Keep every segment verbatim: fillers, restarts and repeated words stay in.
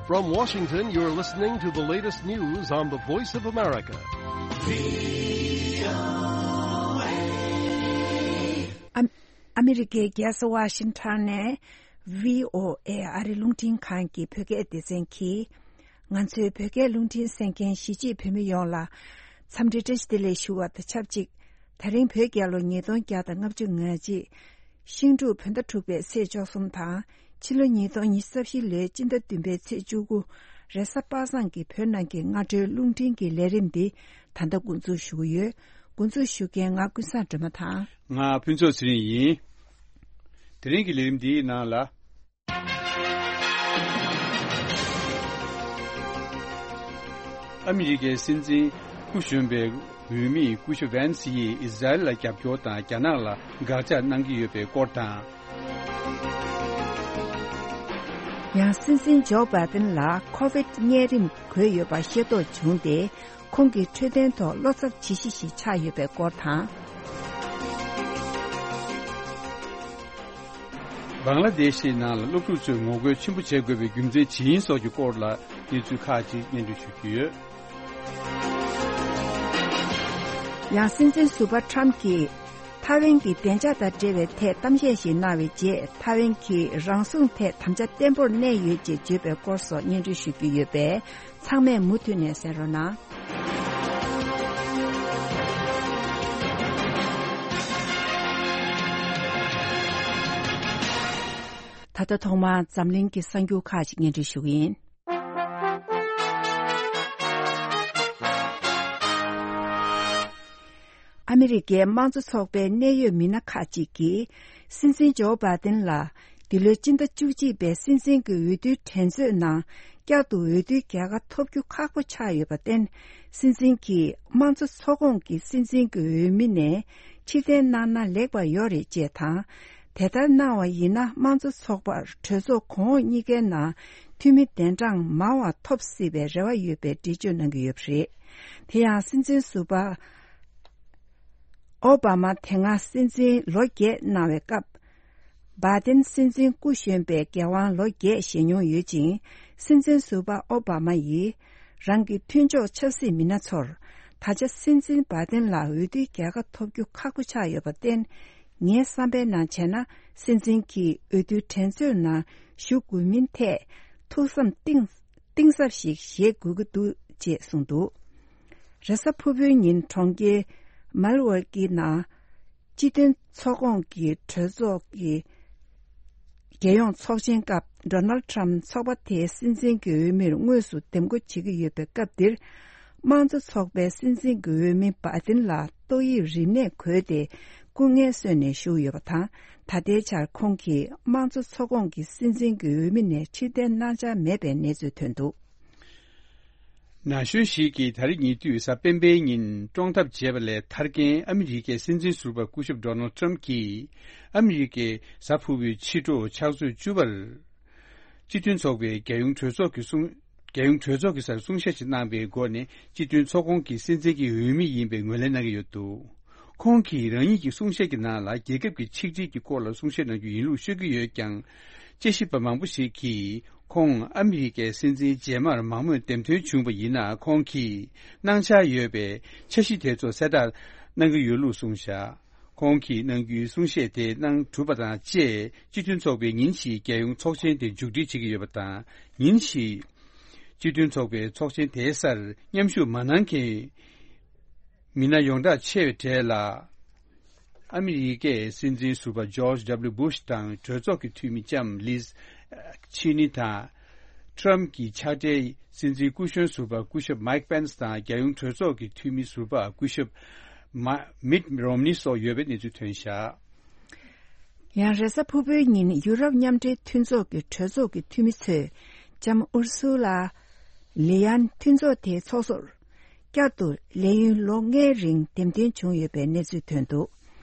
From Washington, you're listening to the latest news on the Voice of America. ཨ་ཨ་མི་རི་ཀའི་རྒྱལ་ས་ཝ་ཤིང་ཊོན་ནས་བྷི་ཨོ་ཨེ་ཨ་རི་རླུང་འཕྲིན་ཁང་གི་བོད་སྐད་སྡེ་ཚན་གྱིས། ང་ཚོའི་བོད་སྐད་རླུང་འཕྲིན་གསན་མཁན་གཞིས་བྱེས་བོད་མི་ཡོངས་ལ་འཚམས་འདྲི་བཀྲ་ཤིས་བདེ་ལེགས་ཞུ་བ་དང་ཆབས་ཅིག་ད་རིང་བོད་རྒྱལ་ལོ་ཉིས་སྟོང་བརྒྱ་དང་ལྔ་བཅུ་ང་གཅིག་ཤིང་འབྲུག་བོད་ཟླ་དྲུག་པའི་ཚེས་བཅུ་གསུམ་དང་། ཕྱི་ལོ་ཉིས་སྟོང་ཉི་ཤུ་རྩ་བཞི་ལོའི་སྤྱི་ཟླ་བདུན་པའི་ཚེས་བཅུ་དགུ། རེས་གཟའ་པ་སངས་ཀྱི་བོད་ནང་གི་སྔ་དྲོའི་རླུང་འཕྲིན་གྱི་ལས་རིམ་འདི་ད་ལྟ་འགོ་འཛུགས་ཞུ་གི་ཡོད། འགོ་འཛུགས་ཞུ་མཁན་ང་ཀུན་བཟང་སྒྲོལ་མ་དང་། ང་ཕུན་ཚོགས་ཚེ་རིང་ཡིན། དེ་རིང་གི་ལས་རིམ་འདིའི་ནང་ལ། ཨ་མི་རི་ཀའི་སྲིད་འཛིན་སྐུ་གཞོན་པའི་འོས་མི་སྐུ་ཞབས་ཝན་སི་ཡིས་ཨི་ཟ་རེལ་ལ་རྒྱབ་སྐྱོར་དང་རྒྱ་ནག་ལ་དགག་བྱ་གནང་གི་ཡོད་པའི་སྐོར་དང་། ཡང་སྲིད་འཛིན་ཇོ་བྷའི་ཏིན་ལ་ཁོ་ཝིད་གཉན་རིམས་འགོས་ཡོད་པ་ཤེས་རྟོགས་བྱུང་སྟེ། ཁོང་གི་འཕྲོད་བསྟེན་ཐོག་བློ་འཚབ་བྱེད་གཞི་ཞིག་ཆགས་ཡོད་པའི་སྐོར་དང་། བང་ལ་དེ་ཤི་ནང་ལ་སློབ་ཕྲུག་ཚོས་ངོ་རྒོལ་ཆེན་པོ་བྱེད་དགོས་པའི་རྒྱུ་མཚན་ཇི་ཡིན་སོགས་ཀྱི་སྐོར་ལ་གནས་ཚུལ་ཁག་ཅིག་སྙན་སྒྲོན་ཞུ་རྒྱུ་ཡོད། ཡང་སྲིད་འཛིན་ཟུར་པ་ཁྲམ་གྱིས་ཐའེ་ཝན་གྱི་བདེ་འཇགས་དང་འབྲེལ་བའི་ཐད་གཏམ་བཤད་ཞིག་གནང་བའི་རྗེས། ཐའེ་ཝན་གྱིས་རང་སྲུང་ཐད་དམ་བཅའ་བརྟན་པོར་གནས་ཡོད་ཅེས་བརྗོད་པའི་སྐོར་སོགས་སྙན་སྒྲོན་ཞུ་རྒྱུ་ཡོད་པས། ཚང་མས་མུ་མཐུད་ནས་གསན་རོགས་གནང་། ད་ལྟ་ཐོག་མར་འཛམ་གླིང་གི་གསར་འགྱུར་ཁག་ཅིག་སྙན་སྒྲོན་ཞུ་གི་ཡིན། ཨ་མི་རི་ཀའི་དམངས་གཙོ་ཚོགས་པའི་གནད་ཡོད་མི་སྣ་ཁག་ཅིག་གིས། སྲིད་འཛིན་ཇོ་བྷའི་ཏིན་ལ་འདི་ལོའི་སྤྱི་ཟླ་བཅུ་གཅིག་པའི་སྲིད་འཛིན་གྱི་འོས་བསྡུའི་འགྲན་རྩོད་ནང་བསྐྱར་དུ་འོས་བསྡུའི་རྒྱལ་ཁ་ཐོབ་རྒྱུ་ཁག་པོ་ཆགས་ཡོད་པར་བརྟེན། སྲིད་འཛིན་གྱིས་དམངས་གཙོ་ཚོགས་ཁོངས་ཀྱི་སྲིད་འཛིན་གྱི་འོས་མི་ནས་ཕྱིར་འཐེན་གནང་ན་ལེགས་པ་ཡོད་རེད་ཅེས་དང་། དེ་ལྟར་གནང་བ་ཡིན་ན། དམངས་གཙོ་ཚོགས་པར་གྲོས་ཚོགས་གོང་འོག་གཉིས་ཀའི་ནང་འཐུས་མི་གདན་གྲངས་མང་བ་ཐོབ་སྲིད་པའི་རེ་བ་ཡོད་པའི་འགྲེལ་བརྗོད་གནང་གི་ཡོད་པ་རེད། དེ་ཡང་སྲིད་འཛིན་ཟུར་པ་ཨོ་བྷ་མ་དེ་སྔ་སྲིད་འཛིན་ལོ་བརྒྱད་གནང་བའི་སྐབས། བྷའི་ཏིན་སྲིད་འཛིན་སྐུ་གཞོན་པའི་འགན་དབང་ལོ་བརྒྱད་བཞེས་མྱོང་ཡོད་ཅིང་། སྲིད་འཛིན་ཟུར་པ་ཨོ་བྷ་མ་ཡིས་རང་གི་མཐུན་ཕྱོགས་ཆབ་སྲིད་མི་སྣ་ཚོར། ད་ཆ་སྲིད་འཛིན་བྷའི་ཏིན་ལ་འོས་བསྡུའི་རྒྱལ་ཁ་ཐོབ་རྒྱུ་ཁག་པོ་ཆགས་ཡོད་པར་བརྟེན། ངའི་བསམ་པའི་ནང་བྱས་ན། སྲིད་འཛིན་གྱིས་འོས་བསྡུའི་འགྲན་རྩོད་ནང་ཞུགས་དགོས་མིན་ཐད་ཐུགས་བསམ་གཏིང་གཏིང་ཟབ་ཞིག་བཞེས་དགོས་ཀྱི་འདུག་ཅེས་གསུངས་འདུག་རེས་གཟའ་ཕུར་བུའི་ཉིན་གྲོང་ཁྱེར་མལ་ཝར་ཀི་ནང་སྤྱི་མཐུན་ཚོགས་ཁོངས་ཀྱི་གྲོས་ཚོགས་ཀྱི་རྒྱལ་ཡོངས་ཚོགས་ཆེན་སྐབས། ཌོ་ནལ་ཊམ་ཚོགས་པ་དེའི་སྲིད་འཛིན་གྱི་འོས་མིར་དངོས་སུ་འདེམས་བསྐོ་བྱེད་ཀྱི་ཡོད་པའི་སྐབས་འདིར། དམངས་གཙོ་ཚོགས་པའི་སྲིད་འཛིན་གྱི་འོས་མི་བྷའི་ཏིན་ལ་ཏོག་དབྱིབས་རིམས་ནད་འགོས་ཏེ་སྐུ་ངལ་གསོས་ནས་བཞུགས་ཡོད་པ་དང་། ད་ལྟའི་ཆར་ཁོང་གིས་དམངས་གཙོ་ཚོགས་ཁོངས་ཀྱི་སྲིད་འཛིན་གྱི་འོས་མི་ནས་ཕྱིར་འཐེན་གནང་འཆར་མེད་པའི་གནས་ཚུལ་ཐོན་འདུག་ན་གཞོན་ཞིག་གིས་ད་རེས་ཉེ་དུས་གཟའ་སྤེན་པའི་ཉིན་བཀྲོངས་ཐབས་བྱས་པ་ལས་ཐར་མཁན་ཨ་མི་རི་ཀའི་སྲིད་འཛིན་ཟུར་པ་སྐུ་ཞབས་ཌོ་ནལ་ཊམ་གྱིས། ཨ་མི་རི་ཀའི་གཟའ་ཕུར་བུའི་ཕྱི་དྲོ་ཕྱག་ཚོད་བཅུ་པར། སྤྱི་མཐུན་ཚོགས་པའི་རྒྱལ་ཡོངས་གྲོས་ཚོགས་ཀྱི་གསུང་། རྒྱལ་ཡོངས་གྲོས་ཚོགས་ཀྱི་སར་གསུང་བཤད་ཅིག་གནང་པའི་སྒོ་ནས། སྤྱི་མཐུན་ཚོགས་ཁོངས་ཀྱི་སྲིད་འཛིན་གྱི་འོས་མི་ཡིན་པའི་ངོས་ལེན་གནང་གི་ཡོད་འདུག་ཁོང་གིས་རང་ཉིད་ཀྱི་གསུང་བཤད་ཀྱི་ནང་ལ། རྒྱལ་ཁབ་ཀྱི་ཆིག་སྒྲིལ་གྱི་སྐོར་ལ་གསུང་བཤད་གནང་རྒྱུ་ཡིན་ལུགས་ཤོད་ཀྱི་ཡོད་ཀྱང་། དཔྱད་ཞིབ་པ་མང་པོ་ཞིག་གིས། ཁོང་ཨ་མི་རི་ཀའི་སྲིད་འཛིན་རྗེས་མར་མང་མོས་འདེམས་ཐོན་བྱུང་བ་ཡིན་ན། ཁོང་གིས་གནང་འཆར་ཡོད་པའི་འཆར་གཞི་དེ་ཚོ་གསལ་བསྒྲགས་གནང་གི་ཡོད་ལུགས་གསུངས་བཞག་ཁོང་གིས་གནང་རྒྱུའི་གསུང་བཤད་དེ་གནང་གྲུབ་པ་དང་བཅས། སྤྱི་མཐུན་ཚོགས་པས་ཉིན་ཞིག་རྒྱལ་ཡོངས་ཚོགས་ཆེན་དེ་མཇུག་སྒྲིལ་བྱེད་ཀྱི་ཡོད་པ་དང་། ཉིན་ཞིག་སྤྱི་མཐུན་ཚོགས་པའི་ཚོགས་ཆེན་དེའི་སར་མཉམ་ཞུགས་མ་གནང་མཁན་མི་སྣ་ཡོངས་གྲགས་ཆེ་བའི་གྲས་ལ། ཨ་མི་རི་ཀའི་སྲིད་འཛིན་ཟུར་པ་George W Bush དང་། གྲོས་ཚོགས་ཀྱི་འཐུས་མི་ལྕམ་ལིས་ཆེ་ནི་དང་། ཊམ་གྱི་ཕྱག་སྦྲེལ་སྲིད་འཛིན་སྐུ་གཞོན་ཟུར་པ་སྐུ་ཞབས་མའིག་པེན་སི་དང་། རྒྱལ་ཡོངས་གྲོས་ཚོགས་ཀྱི་འཐུས་མི་ཟུར་པ་སྐུ་ཞབས་མ་མིད་རོམ་ནི་སོགས་ཡོད་པའི་གནས་ཚུལ་ཐོན་བཞག་ཡང་རེས་གཟའ་ཕུར་བུའི་ཉིན་ཡུ་རོབ་མཉམ་འབྲེལ་མཐུན་ཚོགས་ཀྱི་གྲོས་ཚོགས་ཀྱི་འཐུས་མི་ཚོས་ལྕམ་ཨུར་སུ་ལ་ལེ་ཡན་མཐུན་ཚོགས་དེའི་ཚོགས་གཙོར་བསྐྱར་དུ་ལས་ཡུན་ལོ་ལྔའི་རིང་འདེམས་ཐོན་བྱུང་ཡོད་པའི་གནས་ཚུལ་ཐོན་འདུག་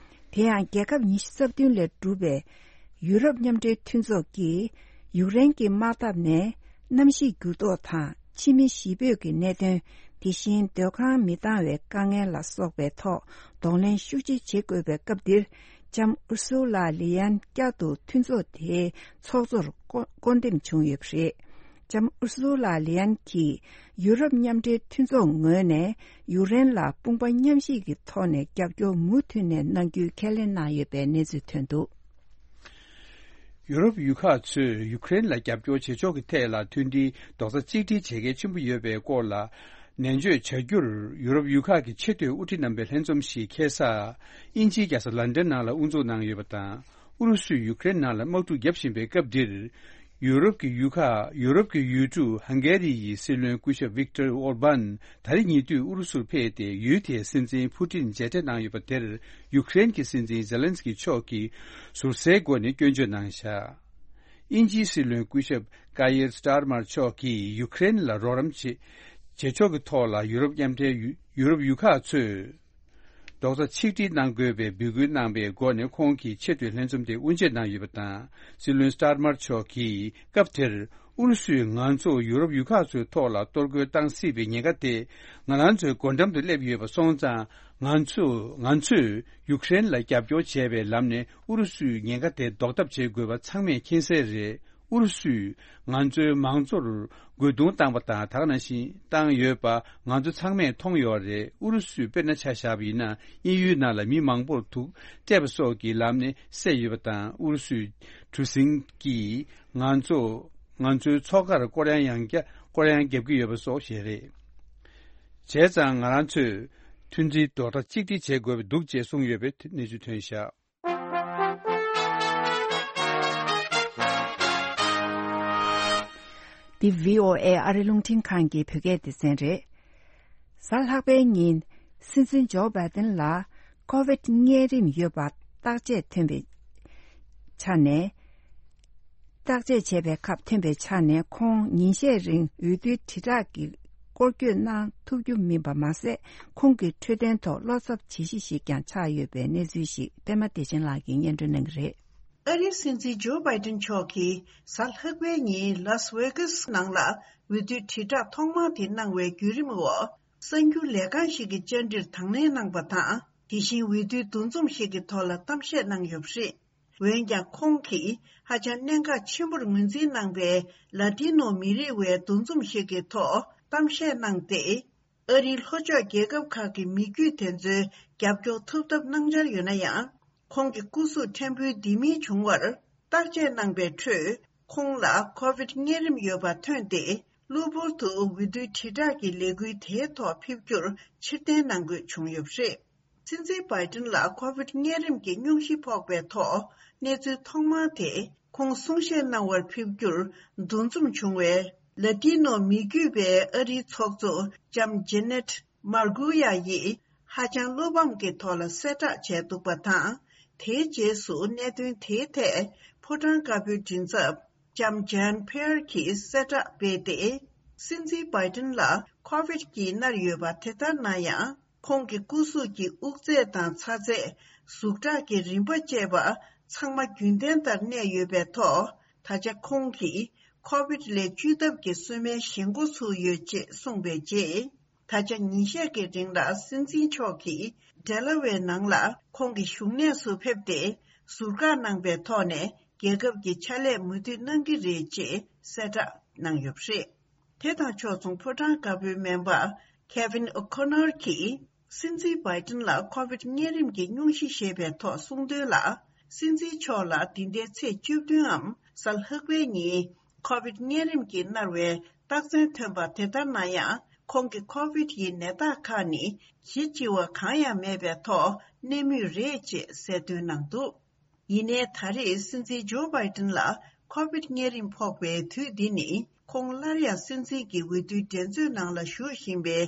དེ་ཡང་རྒྱལ་ཁབ་ཉི་ཤུ་རྩ་བདུན་ལས་གྲུབ་པའི་ཡུ་རོབ་མཉམ་འབྲེལ་མཐུན་ཚོགས་ཀྱིས་ཡུཀ་རེན་གྱི་དམག་འཐབ་ནས་གནམ་གཤིས་འགྱུར་ལྡོག་དང་། ཕྱི་མི་གཞིས་སྤོས་ཀྱི་གནད་དོན། དེ་བཞིན་སྡོད་ཁང་མི་འདང་བའི་དཀའ་ངལ་ལ་སོགས་པའི་ཐོག་གདོང་ལེན་ཤུགས་ཆེ་བྱེད་དགོས་པའི་སྐབས་འདིར། ལྕམ་ཨུར་སུ་ལ་ལི་ཡན་བསྐྱར་དུ་མཐུན་ཚོགས་དེའི་ཚོགས་གཙོར་བསྐོ་བསྐོ་འདེམས་བྱུང་ཡོད་པ་རེད། ལྕམ་ཨུར་སུ་ལ་ལི་ཡན་གྱིས་ཡུ་རོབ་མཉམ་འབྲེལ་མཐུན་ཚོགས་ངོས་ནས་ཡུཀ་རེན་ལ་དཔུང་པ་མཉམ་གཤིབ་ཀྱི་ཐོག་ནས་རྒྱབ་སྐྱོར་མུ་མཐུད་ནས་གནང་རྒྱུའི་ཁས་ལེན་གནང་ཡོད་པའི་གནས་ཚུལ་ཐོན་འདུག། ཡུ་རོབ་ཡུལ་ཁག་ཚོས་ཡུཀ་རེན་ལ་རྒྱབ་སྐྱོར་བྱེད་ཕྱོགས་ཀྱི་ཐད་ལ་མཐུན་སྒྲིལ་རྡོག་རྩ་གཅིག་སྒྲིལ་བྱེད་གལ་ཆེན་པོ་ཡོད་པའི་སྐོར་ལ་ནན་བརྗོད་བྱ་རྒྱུར། ཡུ་རོབ་ཡུལ་ཁག་གི་ཆེས་མཐོའི་དབུ་ཁྲིད་རྣམ་པའི་ལྷན་འཛོམས་ཤིག་ཁ་སང་དབྱིན་ཇིའི་རྒྱལ་ས་ལན་ཌན་ནང་ལ་དབུ་འཛུགས་གནང་ཡོད་པ་དང་། ཨུ་རུ་སུས་ཡུཀ་རེན་ནང་ལ་དམག་འཁྲུག་བརྒྱབ་བཞིན་པའི་སྐབས་འདིར། ཡུ་རོབ་ཀྱི་ཡུལ་ཁག་ཡུ་རོབ་ཀྱི་ཡུལ་གྲུ་ཧང་གེ་རི་ཡི་སྲིད་བློན་སྐུ་ཞབས་ཝིག་ཏར་ཨོར་བན་ད་རེས་ཉེ་དུས་ཨུ་རུ་སུར་ཕེབས་ཏེ། ཡུལ་དེའི་སྲིད་འཛིན་ཕུ་ཏིན་མཇལ་འཕྲད་གནང་ཡོད་པ་དེར། ཡུཀ་རེན་གྱི་སྲིད་འཛིན་ཛེ་ལན་སི་ཀི་མཆོག་གིས་ཟུར་ཟའི་སྒོ་ནས་སྐྱོན་བརྗོད་གནང་བཞག། དབྱིན་ཇིའི་སྲིད་བློན་སྐུ་ཞབས་ཀ་ཡེར་སི་ཏར་མར་མཆོག་གིས་ཡུཀ་རེན་ལ་རོགས་རམ་བྱེད་བྱེད་ཕྱོགས་ཀྱི་ཐོག་ལ་ཡུ་རོབ་མཉམ་འབྲེལ་ཡུ་ཡུ་རོབ་ཡུལ་ཁག་ཚོས་རྡོག་རྩ་ཆིག་སྒྲིལ་གནང་དགོས་པའི་འབོད་སྐུལ་གནང་པའི་སྒོ་ནས། ཁོང་གིས་ཆེས་མཐོའི་ལྷན་འཛོམས་དེ་དབུ་འབྱེད་གནང་ཡོད་པ་དང་། སྲིད་བློན་སི་ཏར་མར་མཆོག་གིས་སྐབས་དེར། ཨུ་རུ་སུས་ང་ཚོ་ཡུ་རོབ་ཡུལ་ཁག་ཚོའི་ཐོག་ལ་གཏོར་རྒོལ་བཏང་སྲིད་པའི་ཉེན་ཁ་དེ་ང་རང་ཚོའི་སྒོ་འགྲམ་དུ་སླེབས་ཡོད་པ་སོང་ཙང་། ང་ཚོ་ང་ཚོས་ཡུཀ་རེན་ལ་རྒྱབ་སྐྱོར་བྱས་པའི་ལམ་ནས་ཨུ་རུ་སུའི་ཉེན་ཁ་དེ་ཟློག་ཐབས་བྱེད་དགོས་པ་ཚང་མས་མཁྱེན་གསལ་རེད། ཨུ་རུ་སུས་ང་ཚོའི་མང་གཙོར་རྒོལ་རྡུང་བཏང་པ་དང་། ད་ག་ནང་བཞིན་བཏང་ཡོད་པ་ང་ཚོ་ཚང་མས་མཐོང་ཡོད་རེད། ཨུ་རུ་སུས་དཔེར་ན་ཆ་བཞག་པ་ཡིན་ན། དབྱིན་ཡུལ་ནང་ལ་མི་མང་པོར་དུག་སྤྲད་པ་སོགས་ཀྱི་ལམ་ནས་བསད་ཡོད་པ་དང་། ཨུ་རུ་སུའི་གྲུ་གཟིངས་ཀྱིས་ང་ཚོ་ང་ཚོའི་མཚོ་ཁར་སྐོར་གཡང་ཡང་བརྒྱ་སྐོར་གཡང་བརྒྱབ་ཀྱི་ཡོད་པ་སོགས་བཤད་རེད། བྱས་ཙང་ང་རང་ཚོས་མཐུན་སྒྲིལ་རྡོག་རྩ་གཅིག་སྒྲིལ་བྱེད་དགོས་པ་འདུག་ཅེས་གསུངས་ཡོད་པའི་གནས་ཚུལ་ཐོན་བཞག། འདི་བྷི་ཨོ་ཨེ་ཨ་རི་རླུང་འཕྲིན་ཁང་གི་བོད་སྐད་སྡེ་ཚན་རེད། གཟའ་ལྷག་པའི་ཉིན། སྲིད་འཛིན་ཇོ་བྷའི་ཏིན་ལ་ཀོ་ཝིད་གཉན་རིམས་ཡོད་པ་བརྟག་དཔྱད་ཐོན་པའི་ཆ་ནས། བརྟག་དཔྱད་བྱས་པའི་སྐབས་ཐོན་པའི་ཆ་ནས། ཁོང་ཉིན་ཤས་རིང་འོས་བསྡུའི་དྲིལ་བསྒྲགས་ཀྱི་སྐོར་སྐྱོད་གནང་ཐུབ་རྒྱུ་མིན་པ་མ་ཟད། ཁོང་གི་འཕྲོད་བསྟེན་ཐོག་བློ་འཚབ་བྱེད་གཞི་ཞིག་ཀྱང་ཆགས་ཡོད་པའི་གནས་ཚུལ་ཞིག་པད་མ་བདེ་ཆེན་ལགས་ཀྱིས་སྙན་སྒྲོན་གནང་གི་རེད། ཨ་རིའི་སྲིད་འཛིན་ཇོ་བྷའི་ཏིན་མཆོག་གིས་གཟའ་ལྷག་པའི་ཉིན་ལཱ་སི་ཝེ་གཱ་སི་ནང་ལ་འོས་བསྡུའི་དྲིལ་བསྒྲགས་ཐོག་མ་དེ་གནང་བའི་བརྒྱུད་རིམ་འོག། གསར་འགྱུར་ལས་ཁང་ཞིག་གི་བཅར་འདྲིར་དང་ལེན་གནང་པ་དང་། དེ་བཞིན་འོས་བསྡུའི་འདུ་འཛོམས་ཤིག་གི་ཐོག་ལ་གཏམ་བཤད་གནང་ཡོད་པ་རེད། འོན་ཀྱང་། ཁོང་གིས་ཧ་ཅང་གནད་འགག་ཆེན་པོར་ངོས་འཛིན་གནང་པའི་ལ་ཏི་ནོ་མི་རིགས་པའི་འདུ་འཛོམས་ཤིག་གི་ཐོག་གཏམ་བཤད་གནང་སྟེ། ཨ་རིའི་ལྷོ་ཕྱོགས་རྒྱལ་ཁབ་ཁག་གི་མི་རྒྱུད་དེ་ཚོའི་རྒྱབ་སྐྱོར་ཐོབ་ཐབས་གནང་འཆར་ཡོད་ན་ཡང་། ཁོང་གི་སྐུ་གཟུགས་ཕྲན་བུ་ལྡེ་མིག་བྱུང་བར་བརྟག་དཔྱད་གནང་པའི་ཁྲོད། ཁོང་ལ་ཀོ་ཝིད་གཉན་རིམས་ཡོད་པ་ཐོན་ཏེ། གློ་བུར་དུ་འོས་བསྡུའི་དྲིལ་བསྒྲགས་ཀྱི་ལས་འགུལ་དེའི་ཐོག་ཕེབས་རྒྱུར་ཕྱིར་འཐེན་གནང་དགོས་བྱུང་ཡོད་པ་རེད། སྲིད་འཛིན་བྷའི་ཏིན་ལ་ཀོ་ཝིད་གཉན་རིམས་ཀྱི་སྙུང་གཞི་ཕོག་པའི་ཐོག་གནས་ཚུལ་ཐོག་མ་དེ། ཁོང་གསུང་བཤད་གནང་བར་ཕེབས་རྒྱུར་འདུ་འཛོམས་བྱུང་བའི་ལ་ཏི་ནོ་མི་རྒྱུད་པའི་ཨ་རིའི་ཚོགས་གཙོ་ལྕམ་ཇེ་ནེད་མར་ཀུ་ཡ་ཡིས་ཧ་ཅང་བློ་ཕམ་གྱི་ཐོག་ལ་གསལ་བསྒྲགས་བྱས་འདུག་པ་དང་། དེའི་རྗེས་སུ་གནད་དོན་དེའི་ཐད་ཕོ་བྲང་དཀར་པོའི་མགྲིན་ཚབ་ལྕམ་ཇན་ཕེར་གྱིས་གསལ་བསྒྲགས་སྤེལ་ཏེ། སྲིད་འཛིན་བྷའི་ཏིན་ལ་ཀོ་ཝིད་ཀྱིས་མནར་ཡོད་པ་དེ་ལྟར་ན་ཡང་། ཁོང་གི་སྐུ་གཟུགས་ཀྱི་དབུགས་ཚད་དང་ཚ་ཚད། ཟུག་ཁྲག་གི་རིམ་པ་བཅས་པ་ཚང་མ་རྒྱུན་ལྡན་ལྟར་གནས་ཡོད་པའི་ཐོག་ད་ཆ་ཁོང་གིས་ཀོ་ཝིད་ལས་བཅོས་ཐབས་ཀྱི་གསོལ་སྨན་བཞེས་འགོ་ཚུགས་ཡོད་ཅེས་གསུངས་པའི་རྗེས། ད་ཆ་ཉིན་ཤས་ཀྱི་རིང་ལ་སྲིད་འཛིན་མཆོག་གིས་ཌེ་ལ་ཝེ་ནང་ལ་ཁོང་གི་བཞུགས་གནས་སུ་ཕེབས་ཏེ། ཟུར་བཀག་གནང་པའི་ཐོག་ནས་རྒྱལ་ཁབ་ཀྱི་ཕྱག་ལས་མུ་མཐུད་གནང་གི་རེད་ཅེས་གསལ་བསྒྲགས་གནང་ཡོད་པ་རེད། དེ་དང་ཕྱོགས་མཚུངས་ཕོ་བྲང་དཀར་པོའི་སྨན་པ་ཁེ་ཝིན་ཨོ་ཁོ་ནོར་གྱིས་སྲིད་འཛིན་བྷའི་ཏིན་ལ་ཀོ་ཝིད་གཉན་རིམས་ཀྱི་སྙུང་གཞི་ཞེས་པའི་ཐོག་གསུངས་དོན་ལ། སྲིད་འཛིན་མཆོག་ལ་འདི་ཟླའི་ཚེས་བཅུ་བདུན་འམ་གཟའ་ལྷག་པའི་ཉིན་ཀོ་ཝིད་གཉན་རིམས་ཀྱིས་མནར་བའི་རྟགས་མཚན་ཐོན་པ་དེ་ལྟར་ན་ཡང་། ཁོང་གི་ཀོ་ཝིད་ཡི་ནད་རྟགས་ཁག་ནི་གཞི་ལྕི་བ་གང་ཡང་མེད་པའི་ཐོག་གནས་མུས་རེད་ཅེས་གསལ་སྟོན་གནང་འདུག། ཡིན་ནའི་ད་རེས་སྲིད་འཛིན་ཇོ་བྷའི་ཏིན་ལ་ཀོ་ཝིད་གཉན་རིམས་ཕོག་པའི་དུས་འདི་ནི། ཁོང་སླར་ཡང་སྲིད་འཛིན་གྱི་འོས་བསྡུའི་འགྲན་རྩོད་ནང་ལ་ཞུགས་བཞིན་པའི་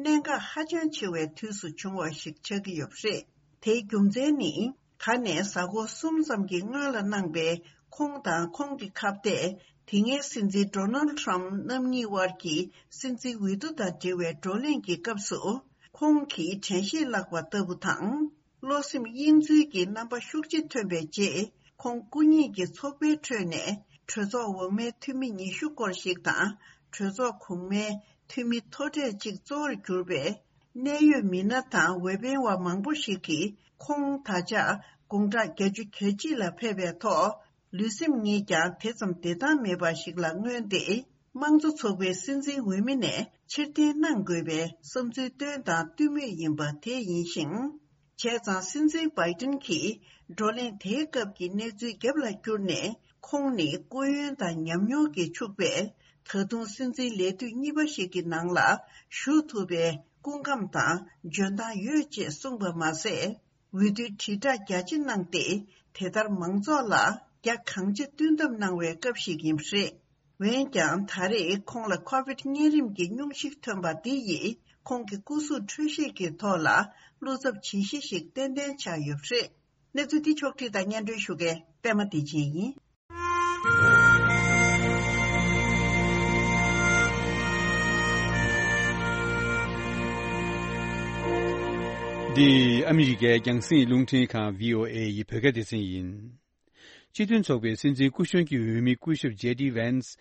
གནད་འགག་ཧ་ཅང་ཆེ་བའི་དུས་སུ་བྱུང་བ་ཞིག་ཆགས་ཀྱི་ཡོད་པ་རེད། དེའི་རྒྱུ་མཚན་ནི། ད་ནས་གཟའ་འཁོར་གསུམ་ཙམ་གྱི་སྔོན་ལ་གནང་པའི་ཁོང་དང་ཁོང་གི་ཁ་གཏད། དེ་སྔའི་སྲིད་འཛིན་ཌོ་ནལ་ཌི་ཊརམ་ཕ་རྣམ་གཉིས་དབར་གྱི་སྲིད་འཛིན་འོས་བསྡུ་དང་འབྲེལ་བའི་བགྲོ་གླེང་གི་སྐབས་སུ། ཁོང་གིས་དྲན་ཤེས་བརླག་པ་ལྟ་བུ་དང་། བློ་སེམས་གཡེང་འཚུལ་གྱི་རྣམ་པ་ཤུགས་ཆེ་ཐོན་པའི་རྗེས། ཁོང་སྐུ་ཉིད་ཀྱི་ཚོགས་པའི་ཁྲོད་ནས་གྲོས་ཚོགས་འོག་མའི་འཐུས་མི་ཉི་ཤུ་སྐོར་ཞིག་དང་། གྲོས་ཚོགས་གོང་མའི་འཐུས་མི་མཐོ་གྲས་གཅིག་གཙོ་བོར་གྱུར་པའི་གནད་ཡོད་མི་སྣ་དང་འོས་འཕེན་བ་མང་པོ་ཞིག་གིས་ཁོང་ད་ཆ་དགུང་གྲངས་བརྒྱད་ཅུ་གྱ་གཅིག་ལ་ཕེབས་པའི་ཐོག་ལུས་སེམས་ཉིད་ཀྱང་དེ་ཙམ་བདེ་ཐང་མེད་པ་ཞིག་ལ་མངོན་ཏེ། དམངས་གཙོ་ཚོགས་པའི་སྲིད་འཛིན་འོས་མི་ནས་ཕྱིར་འཐེན་གནང་དགོས་པའི་བསམ་ཚུལ་བཏོན་དང་བཏོན་མུས་ཡིན་པ་དེ་ཡིན་ཞིང་། བྱས་ཙང་སྲིད་འཛིན་བྷའི་ཏིན་གྱིས་བགྲོ་གླེང་དེའི་སྐབས་ཀྱི་གནས་ཚུལ་རྒྱབ་ལ་བསྐྱུར་ནས། ཁོང་ནི་སྐུ་ཡོན་དང་ཉམས་མྱོང་གིས་ཕྱུག་པས། ད་དུང་སྲིད་འཛིན་ལས་དུས་གཉིས་པ་ཞིག་གི་ནང་ལ་ཞུགས་ཐུབ་པའི་སྐུ་ཁམས་དང་འཇོན་ཐང་ཡོད་ཅེས་གསུངས་པ་མ་ཟད། འོས་བསྡུའི་དྲིལ་བསྒྲགས་རྒྱ་ཆེ་གནང་སྟེ། དེ་ལྟར་མང་ཚོགས་ལ་རྒྱ་གང་ཆེ་བསྟུན་ཐབས་གནང་བའི་སྐབས་ཤིག་ཡིན་པ་རེད། འོན་ཀྱང་། ད་རེས་ཁོང་ལ་ཁོ་བིད་གཉན་རིམས་ཀྱི་སྙུང་གཞི་ཐོན་པ་འདི་ཡིས། ཁོང་གི་སྐུ་གཟུགས་འཕྲོད་བཞེས་ཀྱི་ཐོག་ལ་བློ་འཚབ་བྱེད་གཞི་ཞིག་ཏན་ཏན་ཆགས་ཡོད་པ་རེད། གནས་ཚུལ་འདི་ཕྱོགས་བསྒྲིགས་དང་སྙན་སྒྲོན་ཞུ་མཁན་པད་མ་བདེ་ཆེན་ཡིན། འདི་ཨ་མི་རི་ཀའི་རྒྱང་སྲིང་རླུང་འཕྲིན་ཁང་བྷི་ཨོ་ཨེ་ཡི་བོད་སྐད་སྡེ་ཚན་ཡིན། སྤྱི་མཐུན་ཚོགས་པའི་སྲིད་འཛིན་སྐུ་གཞོན་གྱི་འོས་མི་སྐུ་ཞབས་ཇེ་ཌི་ཝན་སི།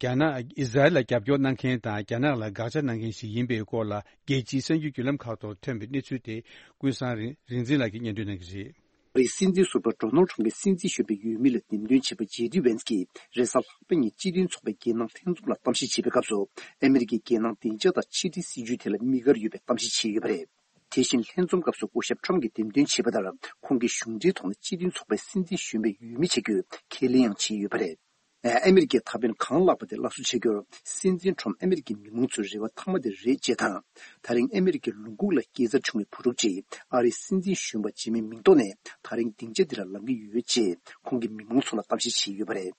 རྒྱ་ནག་ཨི་ཟ་རེལ་ལ་རྒྱབ་སྐྱོར་གནང་མཁན་དང་རྒྱ་ནག་ལ་དགག་བྱ་གནང་མཁན་ཞིག་ཡིན་པའི་སྐོར་ལ། རྒྱལ་སྤྱིའི་གསར་འགྱུར་བརྒྱུད་ལམ་ཁག་ཐོག་ཐོན་པའི་གནས་ཚུལ་དེ། ཀུན་བཟང་རིག་རིག་འཛིན་ལགས་ཀྱིས་སྙན་སྒྲོན་གནང་གི་རེད། ཨ་རིའི་སྲིད་འཛིན་ཟུར་པ་ཌོ་ནལ་ཁྲམ་གྱི་སྲིད་འཛིན་གཞོན་པའི་འོས་མི་ལ་འདེམས་ཐོན་བྱས་པ་ཇེ་ཌི་ཝན་སི་གིས་རེས་གཟའ་ལྷག་པ་ཉིན་སྤྱི་མཐུན་ཚོགས་པའི་རྒྱལ་ནང་ལྷན་འཛོམས་ལ་གཏམ་བཤད་བྱེད་པའི་སྐབས་སུ། ཨ་མི་རི་ཀའི་རྒྱལ་ནང་བདེ་འཇགས་དང་ཕྱི་འབྲེལ་སྲིད་ཇུས་ཐད་ལ་དམིགས་བཀར་ཡོད་པའི་གཏམ་བཤད་བྱས་ཡོད་པ་རེད། དེ་བཞིན་ལྷན་འཛོམས་སྐབས་སུ་སྐུ་ཞབས་ཁྲམ་གྱིས་འདེམས་ཐོན་བྱས་པ་ལྟར། ཁོང་གིས་གཞུང་འབྲེལ་ཐོག་ནས་སྤྱི་མཐུན་ཚོགས་པའི་སྲིད་འཛིན་གཞོན་པའི་འོས་མི་བྱ་རྒྱུའི་ཁས་ལེན་ཡང་བྱས་ཡོད་པ་རེད། ཨ་མི་རི་ཀའི་ད་ཕན་གང་ལགས་པ་དེ་སླར་གསོ་བྱ་རྒྱུར། སྲིད་འཛིན་ཁྲོམ་ཨ་མི་རི་ཀའི་མི་མང་ཚོའི་རེ་བ་མཐའ་མ་དེ་རེད་ཅེས་དང་། ད་རིང་ཨ་མི་རི་ཀའི་ལུང་ཁུག་ལ་སྐྱེས་འཚར་བྱུང་བའི་བུ་ཕྲུག་ཅིག་ཨ་རིའི་སྲིད་འཛིན་གཞོན་པ་བྱེད་མིན་མིང་ཐོག་ནས། ད་རིང་སྡིངས་ཆ་འདི་ལ་ལངས་ཀྱི་ཡོད་ཅེས་ཁོང་གིས་མི་མང་ཚོ་ལ་གཏམ་བཤད་བྱས་ཡོད་པ་རེད།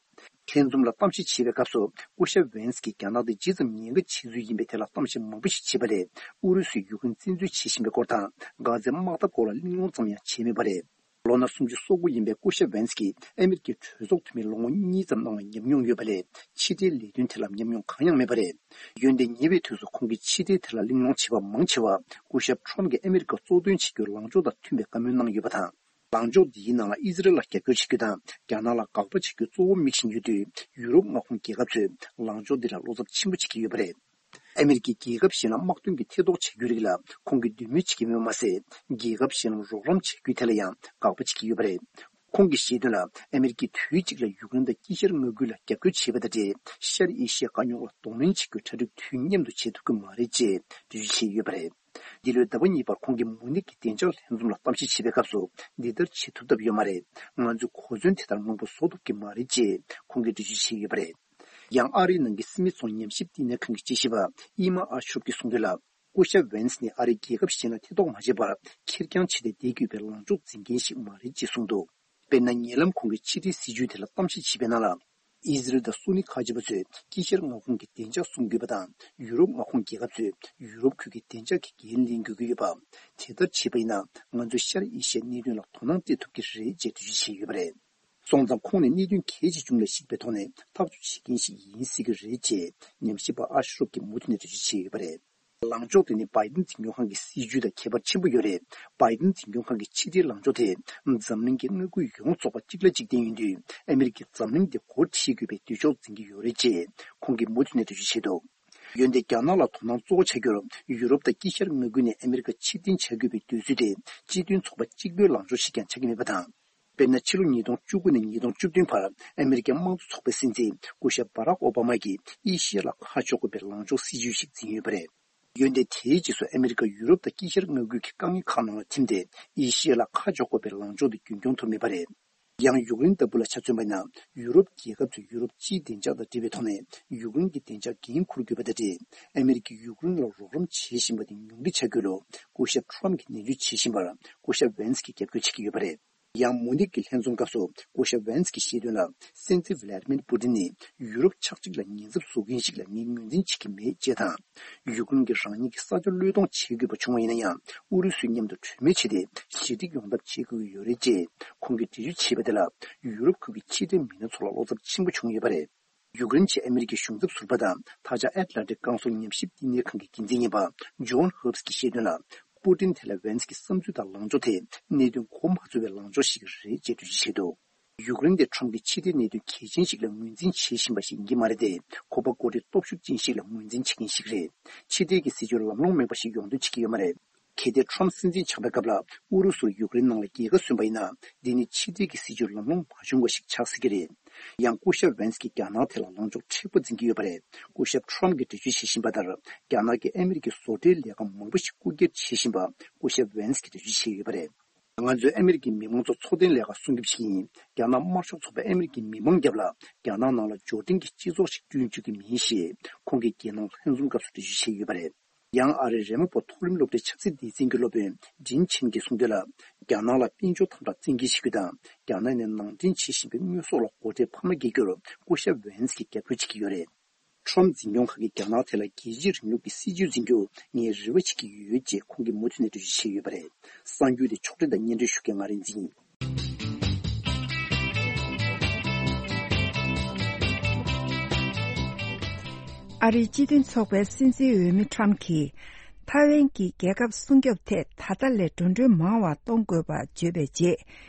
ལྷན་འཛོམས་ལ་གཏམ་བཤད་བྱེད་པའི་སྐབས་སུ། སྐུ་ཞབས་ཝན་སི་གིས་རྒྱ་ནག་དེ་ཇི་ཙམ་ཉེན་ཁ་ཆེ་ཚུལ་ཡིན་པའི་ཐད་ལ་གཏམ་བཤད་མང་པོ་ཞིག་བྱས་པ་ལས། ཨུ་རུ་སུས་ཡུཀ་རེན་བཙན་འཛུལ་བྱེད་བཞིན་པའི་སྐོར་དང་། གྷ་ཛའི་དམག་འཐབ་སྐོར་ལ་གླེང་སློང་ཙམ་ཡང་བྱས་མེད་པ་རེད། ལོ་ན་སུམ་ཅུ་སོ་དགུ་ཡིན་པའི་སྐུ་ཞབས་ཝན་སི་གིས་ཨ་མི་རི་ཀའི་གྲོས་ཚོགས་འཐུས་མི་ལོ་ངོ་གཉིས་ཙམ་གནང་བའི་ཉམས་མྱོང་ཡོད་པ་ལས། ཕྱི་འབྲེལ་ལས་དོན་ཐད་ལ་ཉམས་མྱོང་གང་ཡང་མེད་པ་རེད། འོན་ཏེ་ཉེ་བའི་དུས་སུ་ཁོང་གིས་ཕྱི་འབྲེལ་ཐད་ལ་གླེང་སློང་བྱས་པ་མང་ཆེ་བ། སྐུ་ཞབས་ཁྲོམ་གྱིས་ཨ་མི་རི་ཀ་གཙོ་འདོན་བྱེད་རྒྱུའི་ལངས་ཕྱོགས་དང་མཐུན་པའི་བཀའ་མོལ་གནང་ཡོད་པ་དང་། ལངས་ཕྱོགས་འདིའི་ནང་ལ་ཨི་ཟི་རེལ་ལ་རྒྱབ་སྐྱོར་བྱེད་རྒྱུ་དང་། རྒྱ་ནག་ལ་དགག་པ་བྱེད་རྒྱུ་གཙོ་བོ་དམིགས་བཞིན་ཡོད་དུས། ཡུ་རོབ་མངའ་ཁོངས་རྒྱལ་ཁབ་ཚོས་ལངས་ཕྱོགས་འདི་ལ་བློ་འཚབ་ཆེན་པོ་བྱེད་ཀྱི་ཡོད་པ་རེད། ཨ་མི་རི་ཀའི་རྒྱལ་ཁབ་གཞན་ལ་དམག་དོན་གྱི་ཐེ་གཏོགས་བྱ་རྒྱུའི་རིགས་ལ་ཁོང་གིས་འདོད་མོས་བྱེད་ཀྱི་མེད་པ་མ་ཟད། རྒྱལ་ཁབ་གཞན་ལ་རོགས་རམ་བྱ་རྒྱུའི་ཐད་ལ་ཡང་དགག་པ་བྱེད་ཀྱི་ཡོད་པ་རེད། ཁོང་གིས་བཤད་དོན་ལ། ཨ་མི་རི་ཀས་དུས་གཅིག་ལ་ཡུཀ་རེན་དང་དཀྱིལ་ཤར་མངའ་ཁུལ་ལ་རྒྱབ་སྐྱོར་བྱས་པ་དང་འབྲེལ། ཤར་ཨེ་ཤི་ཡའི་དཀའ་རྙོག་ལ་གདོང་ལེན་བྱེད་རྒྱུའི་གྲ་སྒྲིག་དུས་མཉམ་དུ་བྱེད་ཐུབ་ཀྱི་མ་རེད་ཅེས་འགྲེལ་བརྗོད་བྱས་ཡོད་པ་རེད། འདི་ལོའི་ཟླ་བ་གཉིས་པར་ཁོང་གིས་མུ་ནིག་གི་བདེ་འཇགས་ལྷན་འཛོམས་ལ་གཏམ་བཤད་བྱེད་པའི་སྐབས་སུ། འདི་ལྟར་བྱེད་ཐུབ་ཐབས་ཡོད་མ་རེད། ང་ཚོས་གོ་མཚོན་དེ་ལྟར་མང་པོ་བཟོ་ཐུབ་ཀྱི་མ་རེད་ཅེས་ཁོང་གིས་འགྲེལ་བརྗོད་བྱས་ཡོད་པ་རེད། ཡང་ཨ་རིའི་ནང་གི་སི་མི་ཚོང་ཉམས་ཞིབ་བསྟི་གནས་ཁང་གི་དཔྱད་ཞིབ་པ་ཨི་མ་ཨ་ཤོབ་ཀྱིས་གསུངས་དོན་ལ། སྐུ་ཞབས་ཝན་སི་ནི་ཨ་རིས་རྒྱལ་ཁབ་གཞན་ལ་ཐེ་གཏོགས་མ་བྱས་པར་ཁེར་རྐྱང་བྱས་ཏེ་བསྡད་དགོས་པའི་ལངས་ཕྱོགས་འཛིན་མཁན་ཞིག་མ་རེད་ཅེས་གསུངས་འདུག་དཔེར་ན། ཉེ་ལམ་ཁོང་གིས་ཕྱི་འབྲེལ་སྲིད་ཇུས་དེ་ལ་གཏམ་བཤད་བྱས་པའི་ནང་ལ། ཨི་ཟི་རལ་དང་སུ་ནི་ཁ་ཆེ་བ་ཚོས་དཀྱིལ་ཤར་མངའ་ཁོངས་ཀྱི་བདེ་འཇགས་སྲུང་དགོས་པ་དང་། ཡུ་རོབ་མངའ་ཁོངས་རྒྱལ་ཁབ་ཚོས་ཡུ་རོབ་ཁུལ་གྱི་བདེ་འཇགས་ཀྱི་འགན་ལེན་དགོས་ཀྱི་ཡོད་པ། དེ་ལྟར་བྱས་པ་ཡིན་ན། ང་ཚོས་ཤར་ཨེ་ཤི་ཡའི་གནད་དོན་ལ་དོ་སྣང་སྤྲད་ཐུབ་ཀྱི་རེད་ཅེས་འགྲེལ་བརྗོད་བྱས་ཡོད་པ་རེད། སོང་ཙང་ཁོང་ནི་གནད་དོན་གལ་ཆེ་ཆུང་ལ་གཞིགས་པའི་ཐོག་ནས་ཐག་གཅོད་བྱེད་མཁན་ཞིག་ཡིན་སྲིད་ཀྱི་རེད་ཅེས་ཉམས་ཞིབ་པ་ཨ་ཤི་རོབ་ཀྱིས་མུ་མཐུད་ནས་འགྲེལ་བརྗོད་བྱས་ཡོད་པ་རེད། ལངས་ཕྱོགས་དེ་ནི་བྷའི་ཏིན་འཛིན་སྐྱོང་ཁང་གི་སྲིད་ཇུས་དང་ཁྱད་པར་ཆེན་པོ་ཡོད་རེད། བྷའི་ཏིན་འཛིན་སྐྱོང་ཁང་གི་ཕྱི་འབྲེལ་ལངས་ཕྱོགས་དེ། འཛམ་གླིང་གི་མངའ་ཁུལ་ཡོངས་རྫོགས་པ་གཅིག་ལ་གཅིག་བརྟེན་ཡིན་དུས། ཨ་མི་རི་ཀས་འཛམ་གླིང་འདི་སྒོ་ཁྲལ་དགོས་པའི་འདོད་ཕྱོགས་འཛིན་གྱི་ཡོད་རེད་ཅེས་ཁོང་གིས་མུ་མཐུད་ནས་འགྲེལ་བརྗོད་བྱས་འདུག་འོན་ཏེ། རྒྱ་ནག་ལ་དོ་སྣང་གཙོ་བོ་བྱ་རྒྱུར། ཡུ་རོབ་དང་དཀྱིལ་ཤར་མངའ་ཁུལ་ནས་ཨ་མི་རི་ཀ་ཕྱིར་འཐེན་བྱ་དགོས་པའི་འདོད་ཚུལ་དེ། སྤྱི་མཐུན་ཚོགས་པ་གཅིག་པུའི་ལངས་ཕྱོགས་ཤིག་ཀྱང་ཆགས་ཀྱི་མེད་པ་དང་། དཔེར་ན། ཕྱི་ལོ་ཉིས་སྟོང་བཅུ་དགུ་ནས་ཉིས་སྟོང་བཅུ་བདུན་བར་ཨ་མི་རི་ཀའི་དམངས་གཙོ་ཚོགས་པའི་སྲིད་འཛིན་སྐུ་ཞབས་བྷ་རག་ཨོ་བྷ་མ་གིས་ཨེ་ཤི་ཡ་ལ་ཁ་ཕྱོགས་དགོས་པའི་ལངས་ཕྱོགས་སྲིད་ཇུས་ཤིག་འཛིན་ཡོད་པ་རེད། འོན་ཏེ། དེའི་རྗེས་སུ་ཨ་མི་རི་ཀ་ཡུ་རོབ་དང་དཀྱིལ་ཤར་མངའ་ཁུལ་གྱི་དཀའ་ངལ་ཁག་ནང་ལ་ཐིམ་སྟེ། ཨེ་ཤི་ཡ་ལ་ཁ་ཕྱོགས་དགོས་པའི་ལངས་ཕྱོགས་དེ་རྒྱུན་འཁྱོངས་ཐུབ་མེད་པ་རེད། ཡང་ཡུཀ་རེན་ལྟ་བུ་ལ་ཆ་མཚོན་པ་ཡིན་ན། ཡུ་རོབ་རྒྱལ་ཁབ་ཚོས་ཡུ་རོབ་སྤྱིའི་བདེ་འཇགས་དང་འབྲེལ་བའི་ཐོག་ནས་ཡུཀ་རེན་གྱི་བདེ་འཇགས་འགན་འཁུར་དགོས་པ་དང་འབྲེལ། ཨ་མི་རི་ཀས་ཡུཀ་རེན་ལ་རོགས་རམ་བྱེད་བཞིན་པ་དེ་ཉུང་འཕྲི་བྱ་རྒྱུ་ལ་སྐུ་ཞབས་ཁྲོམ་གྱིས་ནན་བརྗོད་བྱེད་བཞིན་པར་སྐུ་ཞབས་ཝན་སི་གིས་རྒྱབ་སྐྱོར་བྱེད་ཀྱི་ཡོད་པ་རེད། ཡང་མུ་ནིག་གི་ལྷན་འཛོམས་སྐབས་སུ་སྐུ་ཞབས་ཝན་སི་གིས་བཤད་དོན་ལ། སྲིད་འཛིན་ཝི་ལ་ཏི་མིར་པུ་ཏིན་ནི་ཡུ་རོབ་ཆགས་འཇིག་ལ་ཉེན་ཚབས་བཟོ་མཁན་ཞིག་ལ་ངས་ངོས་འཛིན་བྱེད་ཀྱི་མེད་ཅེས་དང་། ཡུཀ་རེན་གྱིས་རང་ཉིད་ཀྱི་ས་ཆ་བློས་གཏོང་བྱེད་དགོས་པ་བྱུང་བ་ཡིན་ན་ཡང་། ཨུ་རུ་སུའི་མཉམ་དུ་གྲོས་མོལ་བྱས་ཏེ་ཞི་འགྲིག་ཡོང་ཐབས་བྱེད་དགོས་ཀྱི་ཡོད་རེད་ཅེས་ཁོང་གིས་འགྲེལ་བརྗོད་བྱས་པ་དེ་ལ། ཡུ་རོབ་ཁུལ་གྱི་ཕྱི་འབྲེལ་མི་སྣ་ཚོ་ལ་བློ་འཚབ་ཆེན་པོ་བྱུང་ཡོད་པ་རེད། ཡུཀ་རེན་ཆེད་ཨ་མི་རི་ཀའི་གཞུང་ཚབ་ཟུར་པ་དང་། ད་ཆ་ཨེཊ་ལན་ཊིག་ཀའུན་སིལ་ཉམས་ཞིབ་བསྟི་གནས་ཁང་གི་འགན་འཛིན་ཡིན་པ་ཇོན་ཧོབ་སི་གིས་བཤད་དོན་ལ། པུ་ཏིན་ཐད་ལ་ཝན་སི་གི་བསམ་ཚུལ་དང་ལངས་ཕྱོགས་དེ་གནད་དོན་གོ་མ་ཚོར་བའི་ལངས་ཕྱོགས་ཤིག་རེད་ཅེས་འགྲེལ་བརྗོད་བྱས་འདུག་ཡུཀ་རེན་དེ་ཁྲོམ་གྱི་ཕྱི་འབྲེལ་གནད་དོན་གལ་ཆེན་ཞིག་ལ་ངོས་འཛིན་བྱེད་བཞིན་པ་ཞིག་ཡིན་གྱི་མ་རེད་དེ། ཁོ་པ་འགོ་ཁྲིད་སྟོབས་ཤུགས་ཅན་ཞིག་ལ་ངོས་འཛིན་བྱེད་མཁན་ཞིག་རེད། ཕྱི་འབྲེལ་གྱི་སྲིད་ཇུས་ལམ་ལྷོང་མེད་པ་ཞིག་ཡོང་འདོད་བྱེད་ཀྱི་ཡོད་མ་རེད། གལ་ཏེ་ཁྲོམ་སྲིད་འཛིན་ཆགས་པའི་སྐབས་ལ་ཨུ་རུ་སུར་ཡུཀ་རེན་ནང་ལ་རྒྱལ་ཁ་སོན་པ་ཡིན་ན། འདི་ནི་ཕྱི་འབྲེལ་གྱི་སྲིད་ཇུས་ལམ་ལྷོང་མ་བྱུང་བ་ཞིག་ཆགས་སྲིད་ཀྱི་རེད། ཡང་སྐུ་ཞབས་ཝེན་སི་གིས་རྒྱ་ནག་ཐད་ལ་ལངས་ཕྱོགས་མཁྲེགས་པོ་འཛིན་གྱི་ཡོད་པ་རེད། སྐུ་ཞབས་ཁྲོམ་གྱིས་འགྲེལ་བརྗོད་བྱེད་བཞིན་པ་ལྟར། རྒྱ་ནག་གིས་ཨ་མི་རི་ཀའི་བཟོ་གྲྭའི་ལས་ཀ་མང་པོ་ཞིག་རྐུ་འཁྱེར་བྱེད་བཞིན་པ་སྐུ་ཞབས་ཝེན་སི་གིས་འགྲེལ་བརྗོད་བྱས་ཡོད་པ་རེད། ང་ཚོས་ཨ་མི་རི་ཀའི་མི་མང་ཚོ་འཚོ་རྟེན་ལས་ཀ་སྲུང་སྐྱོབ་བྱེད་ཀྱི་ཡིན། རྒྱ་ནག་དམར་ཤོག་ཚོགས་པས་ཨ་མི་རི་ཀའི་མི་མང་རྒྱབ་ལ་རྒྱ་ནག་ནང་ལ་འབྱོར་འབྲིང་གི་སྤྱི་ཚོགས་ཤིག་བསྐྲུན་བཅུག་གི་མིན་ཞེས་ཁོང་གིས་རྒྱལ་ནང་ལྷན་འཛོམས་སྐབས་སུ་འགྲེལ་བརྗོད་བྱས་ཡོད་པ་རེད། ཡང་ཨ་རིའི་རི་མོ་པ་མཐོ་རིམ་སློབ་གྲྭའི་ཆབ་སྲིད་སྡེ་ཚན་གྱི་སློབ་དཔོན་ཌིན་ཆིན་གྱིས་གསུངས་དོན་ལ། རྒྱ་ནག་ལ་དཔལ་འབྱོར་དམ་དྲག་བཙན་འགེལ་བྱེད་རྒྱུ་དང་རྒྱ་ནག་ནས་ནང་འདྲེན་བྱེད་བཞིན་པའི་དངོས་ཟོག་ལ་སྒོ་ཁྲལ་འཕར་མ་འགེལ་རྒྱུར་སྐུ་ཞབས་ཝེན་སི་གིས་རྒྱབ་སྐྱོར་བྱེད་ཀྱི་ཡོད་རེད། ཁྲོམ་འཛིན་སྐྱོང་ཁག་གིས་རྒྱ་ནག་ཐད་ལ་རྒྱལ་གཅེས་རིང་ལུགས་ཀྱི་སྲིད་ཇུས་འཛིན་རྒྱུར་ངས་རེ་བ་བྱེད་ཀྱི་ཡོད་ཅེས་ཁོང་གིས་མུ་མཐུད་ནས་འགྲེལ་བརྗོད་བྱས་ཡོད་པ་རེད། གསར་འགྱུར་དེ་ཕྱོགས་སྒྲིག་དང་སྙན་སྒྲོན་ཞུ་མཁན་ང་རིག་འཛིན་ཡིན། ཨ་རིའི་སྤྱི་མཐུན་ཚོགས་པའི་སྲིད་འཛིན་འོས་མི་ཁྲམ་གྱིས་ཐའེ་ཝན་གྱི་རྒྱལ་ཁབ་སྲུང་སྐྱོབ་ཐད་ད་ལྟ་ལས་འགྲོ་གྲོན་མང་བ་གཏོང་དགོས་པ་བརྗོད་པའི་རྗེས།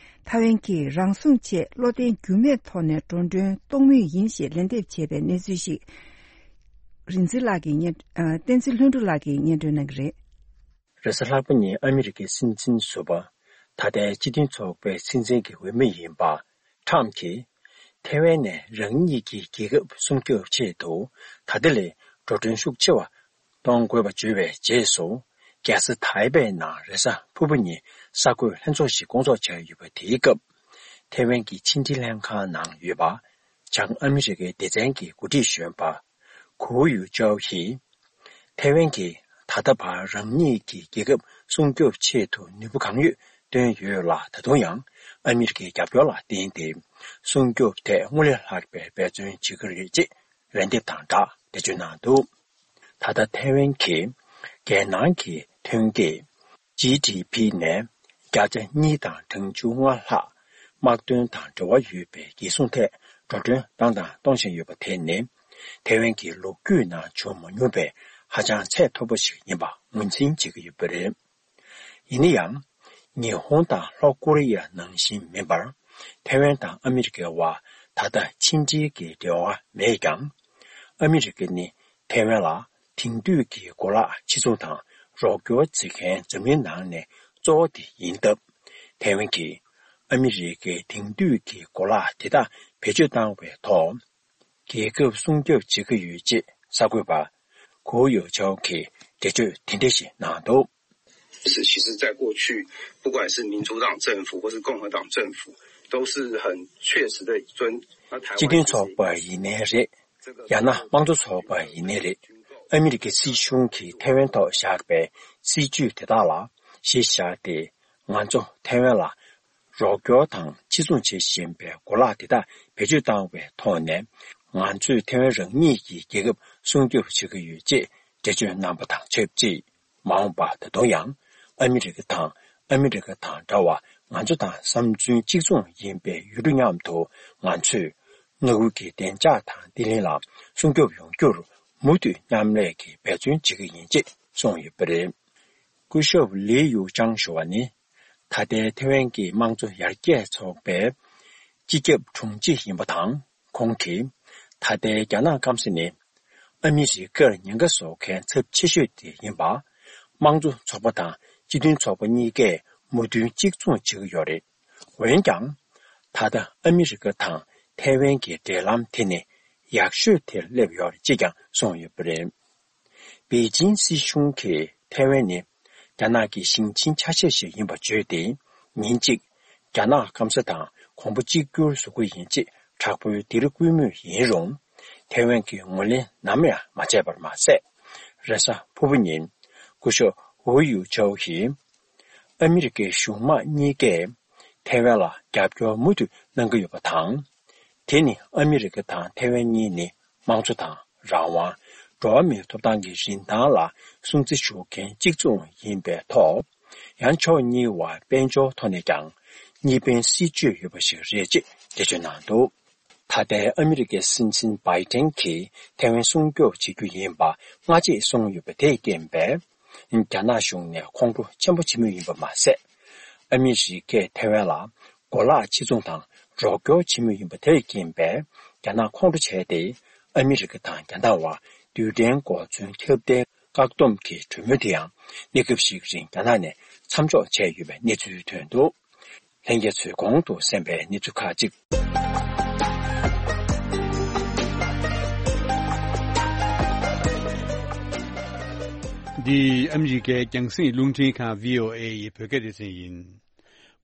ཐའེ་ཝན་གྱིས་རང་སྲུང་ཆེད་བློ་བརྟན་འགྱུར་མེད་ཐོག་ནས་འགྲོ་གྲོན་གཏོང་མུས་ཡིན་ཞེས་ལན་འདེབས་བྱས་པའི་གནས་ཚུལ་ཞིག་རིག་འཛིན་ལགས་ཀྱིས་སྙན། ཨ། བསྟན་འཛིན་ལྷུན་གྲུབ་ལགས་ཀྱིས་སྙན་སྒྲོན་གནང་གི་རེད། རེས་གཟའ་ལྷག་པ་ཉིན་ཨ་མི་རི་ཀའི་སྲིད་འཛིན་ཟུར་པ། ད་ལྟའི་སྤྱི་མཐུན་ཚོགས་པའི་སྲིད་འཛིན་གྱི་འོས་མི་ཡིན་པ། ཁྲམ་གྱིས། ཐའེ་ཝན་ནས་རང་ཉིད་ཀྱི་རྒྱལ་ཁབ་སྲུང་སྐྱོབ་ཆེད་དུ་ད་ལྟ་ལས་འགྲོ་གྲོན་ཤུགས་ཆེ་བ་གཏོང་དགོས་པ་བརྗོད་པའི་རྗེས་སུ། རྒྱལ་ས་ཐའེ་པེ་ནང་རེས་གཟའ་ཕུར་བུ་ཉིན་གསར་འགོད་ལྷན་ཚོགས་ཤིག་བསྐོང་ཚོགས་བྱས་ཡོད་པ་དེའི་སྐབས། ཐའེ་ཝན་གྱི་ཕྱི་འབྲེལ་ལྷན་ཁང་ནང་ཡོད་པ། བྱང་ཨ་མི་རི་ཀའི་སྡེ་ཚན་གྱི་འགོ་ཁྲིད་གཞོན་པ། གུའུ་ཡུ་ཅའོ་ཡིས། ཐའེ་ཝན་གྱིས་ད་ལྟ་བར་རང་ཉིད་ཀྱི་རྒྱལ་ཁབ་སྲུང་སྐྱོབ་ཆེད་དུ་ནུས་པ་གང་ཡོད་བཏོན་ཡོད་ལ། ད་དུང་ཡང་ཨ་མི་རི་ཀའི་རྒྱབ་སྐྱོར་ལ་བརྟེན་ཏེ་སྲུང་སྐྱོབ་ཐད་སྔར་ལས་ལྷག་པའི་འབད་བརྩོན་བྱེད་ཀྱི་རེད་ཅེས་ལན་འདེབས་དང་སྦྲགས་འགྲེལ་བརྗོད་གནང་འདུག་ད་ལྟ་ཐའེ་ཝན་གྱིས་རྒྱལ་ནང་གི་ཐོན་སྐྱེད་ཇི་ཌི་ཕི་ནས་བརྒྱ་ཆ་གཉིས་དང་གྲངས་ཆུང་ལྔ་ལྷག་དམག་དོན་དང་འབྲེལ་བ་ཡོད་པའི་རྒྱལ་སྲུང་ཐད་འགྲོ་གྲོན་བཏང་དང་གཏོང་བཞིན་ཡོད་པ་དེ་ནི། ཐའེ་ཝན་གྱི་ལོ་རྒྱུས་ནང་བྱུང་མ་མྱོང་པའི་ཧ་ཅང་ཚད་མཐོ་པོ་ཞིག་ཡིན་པ་ངོས་འཛིན་བྱེད་ཀྱི་ཡོད་པ་རེད། ཡིན་ན་ཡང་། ཉི་ཧོང་དང་ལྷོ་ཀོ་རི་ཡ་ནང་བཞིན་མིན་པར། ཐའེ་ཝན་དང་ཨ་མི་རི་ཀའི་དབར་ད་ལྟ་ཕྱི་འབྲེལ་གྱི་འབྲེལ་བ་མེད་ཀྱང་། ཨ་མི་རི་ཀ་ནི་ཐའེ་ཝན་ལ་དེང་དུས་ཀྱི་གོ་ལག་ཕྱིར་ཚོང་དང་རོགས་སྐྱོར་བྱེད་མཁན་འཛམ་གླིང་ནང་ནས་གཙོ་བོ་དེ་ཡིན་སྟབས། ཐའེ་ཝན་གྱིས་ཨ་མི་རི་ཀའི་དེང་དུས་ཀྱི་གོ་ལག་དེ་དག་བེད་སྤྱོད་བཏང་བའི་ཐོག་རྒྱལ་ཁབ་སྲུང་སྐྱོབ་བྱེད་ཀྱི་ཡོད་ཅེས་གསར་འགོད་པ་གོ་ཡོ་ཆའོ་གིས་འགྲེལ་བརྗོད་དེ་འདྲ་ཞིག་གནང་འདུག 是，其实，在过去，不管是民主党政府或是共和党政府，都是很确实的尊。那台湾 སྤྱི་མཐུན་ཚོགས་པ་ཡིན་ནའི་རེད། ཡང་ན་དམངས་གཙོ་ཚོགས་པ་ཡིན་ནའི་རེད། ཨ་མི་རི་ཀའི་སྲིད་གཞུང་གིས་ཐའེ་ཝན་ཐོག་བཞག་པའི་སྲིད་ཇུས་དེ་དག་ལ་གཞི་བཞག་སྟེ། ང་ཚོ་ཐའེ་ཝན་ལ་རོགས་སྐྱོར་དང་ཕྱིར་ཚོང་བྱེད་བཞིན་པའི་གོ་ལག་དེ་དག་བེད་སྤྱོད་བཏང་བའི་ཐོག་ནས། ང་ཚོས་ཐའེ་ཝན་རང་ཉིད་ཀྱི་རྒྱལ་ཁབ་སྲུང་སྐྱོབ་བྱེད་ཀྱི་ཡོད་ཅེས་འགྲེལ་བརྗོད་གནང་པ་དང་ཆབས་ཅིག་མ་འོངས་པར་ད་དུང་ཡང་ཨ་མི་རི་ཀ་དང་ཨ་མི་རི་ཀ་དང་འདྲ་བར་ང་ཚོ་དང་བསམ་ཚུལ་གཅིག་མཚུངས་ཡིན་པའི་ཡུལ་གྲུ་མཉམ་དུ་ང་ཚོས་མངའ་ཁུལ་གྱི་བདེ་འཇགས་དང་བརྟན་ལྷིང་ལ་སྲུང་སྐྱོབ་ཡོང་རྒྱུར་མུ་མཐུད་མཉམ་ལས་ཀྱི་འབད་བརྩོན་བྱེད་ཀྱི་ཡིན་ཅེས་གསུངས་ཡོད་པ་རེད། སྐུ་ཞབས་ལི་ཡུ་ཅང་ཞུ་བ་ནི། ད་ལྟའི་ཐེ་ཝན་གྱི་དམངས་གཙོ་ཡར་རྒྱས་ཚོགས་པའི་སྤྱི་ཁྱབ་དྲུང་ཆེ་ཡིན་པ་དང་། ཁོང་གིས། ད་ལྟའི་རྒྱ་ནག་སྐམ་ས་ནི། ཨ་མི་རི་ཀར་ཉེན་ཁ་བཟོ་མཁན་ཚབས་ཆེ་ཤོས་དེ་ཡིན་པ། དམངས་གཙོ་ཚོགས་པ་དང་སྤྱི་མཐུན་ཚོགས་པ་གཉིས་ཀས་མོས་མཐུན་གཅིག་མཚུངས་བྱེད་ཀྱི་ཡོད་རེད། འོན་ཀྱང་། ད་ལྟ་ཨ་མི་རི་ཀ་དང་ཐེ་ཝན་གྱི་འབྲེལ་ལམ་དེ་ནི་ཡག་ཤོས་དེར་སླེབས་ཡོད་རེད་ཅེས་ཀྱང་གསུངས་ཡོད་པ་རེད། པེ་ཅིན་སྲིད་གཞུང་གིས་ཐེ་ཝན་ནི་རྒྱ་ནག་གི་ཞིང་ཆེན་ཆ་ཤས་ཤིག་ཡིན་པ་བརྗོད་དེ། ཉིན་གཅིག་རྒྱ་ནག་སྐམ་ས་དང་གོང་བུ་གཅིག་གྱུར་བཟོ་གི་ཡིན་ཅེས་དྲག་པོའི་སྡིགས་ར་བསྐུལ་མུས་ཡིན་རུང་། ཐེ་ཝན་གྱིས་ངོས་ལེན་ནམ་ཡང་མ་བྱས་པར་མ་ཟད། རེས་གཟའ་ཕུར་བུ་ཉིན། སྐུ་ཞབས་ཝུའུ་ཡུ་ཆའོ་ཡིས། ཨ་མི་རི་ཀའི་གཞུང་དམངས་གཉིས་ཀས་ཐེ་ཝན་ལ་རྒྱབ་སྐྱོར་མུ་མཐུད་གནང་གི་ཡོད་པ་དང་། དེ་ནི་ཨ་མི་རི་ཀ་དང་ཐེ་ཝན་གཉིས་ནི་དམངས་གཙོ་དང་རང་དབང་། འགྲོ་བ་མིའི་ཐོབ་ཐང་གི་རིན་ཐང་ལ་སྲུང་བརྩི་ཞུ་མཁན་གཅིག་མཚུངས་ཡིན་པའི་ཐོག་ཡང་ཕྱོགས་གཉིས་བར་དཔལ་འབྱོར་ཐོག་ནས་ཀྱང་གཉིས་ཕན་སྲིད་ཇུས་ཡོད་པ་ཞིག་རེད་ཅེས་འགྲེལ་བརྗོད་གནང་འདུག་ད་ལྟའི་ཨ་མི་རི་ཀའི་སྲིད་འཛིན་བྷའི་ཏན་གྱིས་ཐེ་ཝན་སྲུང་སྐྱོབ་བྱེད་རྒྱུ་ཡིན་པ་སྔ་རྗེས་གསུངས་ཡོད་པ་དེས་རྐྱེན་པས། རྒྱ་ནག་གཞུང་ནས་ཁོང་ཁྲོ་ཆེན་པོ་བྱེད་མུས་ཡིན་པ་མ་ཟད། ཨ་མི་རི་ཀས་ཐེ་ཝན་ལ་གོ་ལག་ཕྱིར་ཚོང་དང་རོགས་སྐྱོར་བྱེད་མུས་ཡིན་པ་དེས་རྐྱེན་པས། རྒྱ་ནག་ཁོང་ཁྲོ་བྱས་ཏེ། ཨ་མི་རི་ཀ་དང་རྒྱ་ནག་བར་རྡུལ་ཕྲན་གོ་མཚོན་ཁྱབ་གདལ་བཀག་སྡོམ་གྱི་གྲོས་མོལ་དེ་ཡང་གནས་སྐབས་ཤིག་རིང་རྒྱ་ནག་ནས་མཚམས་འཇོག་བྱས་ཡོད་པའི་གནས་ཚུལ་ཐོན་འདུག་ལྷན་རྒྱས་ཚོས་གོང་དུ་གསན་པའི་གནས་ཚུལ་ཁག་ཅིག་འདི་ཨ་མི་རི་ཀའི་རྒྱང་སྲིང་རླུང་འཕྲིན་ཁང་བྷི་ཨོ་ཨེ་ཡི་བོད་སྐད་སྡེ་ཚན་ཡིན།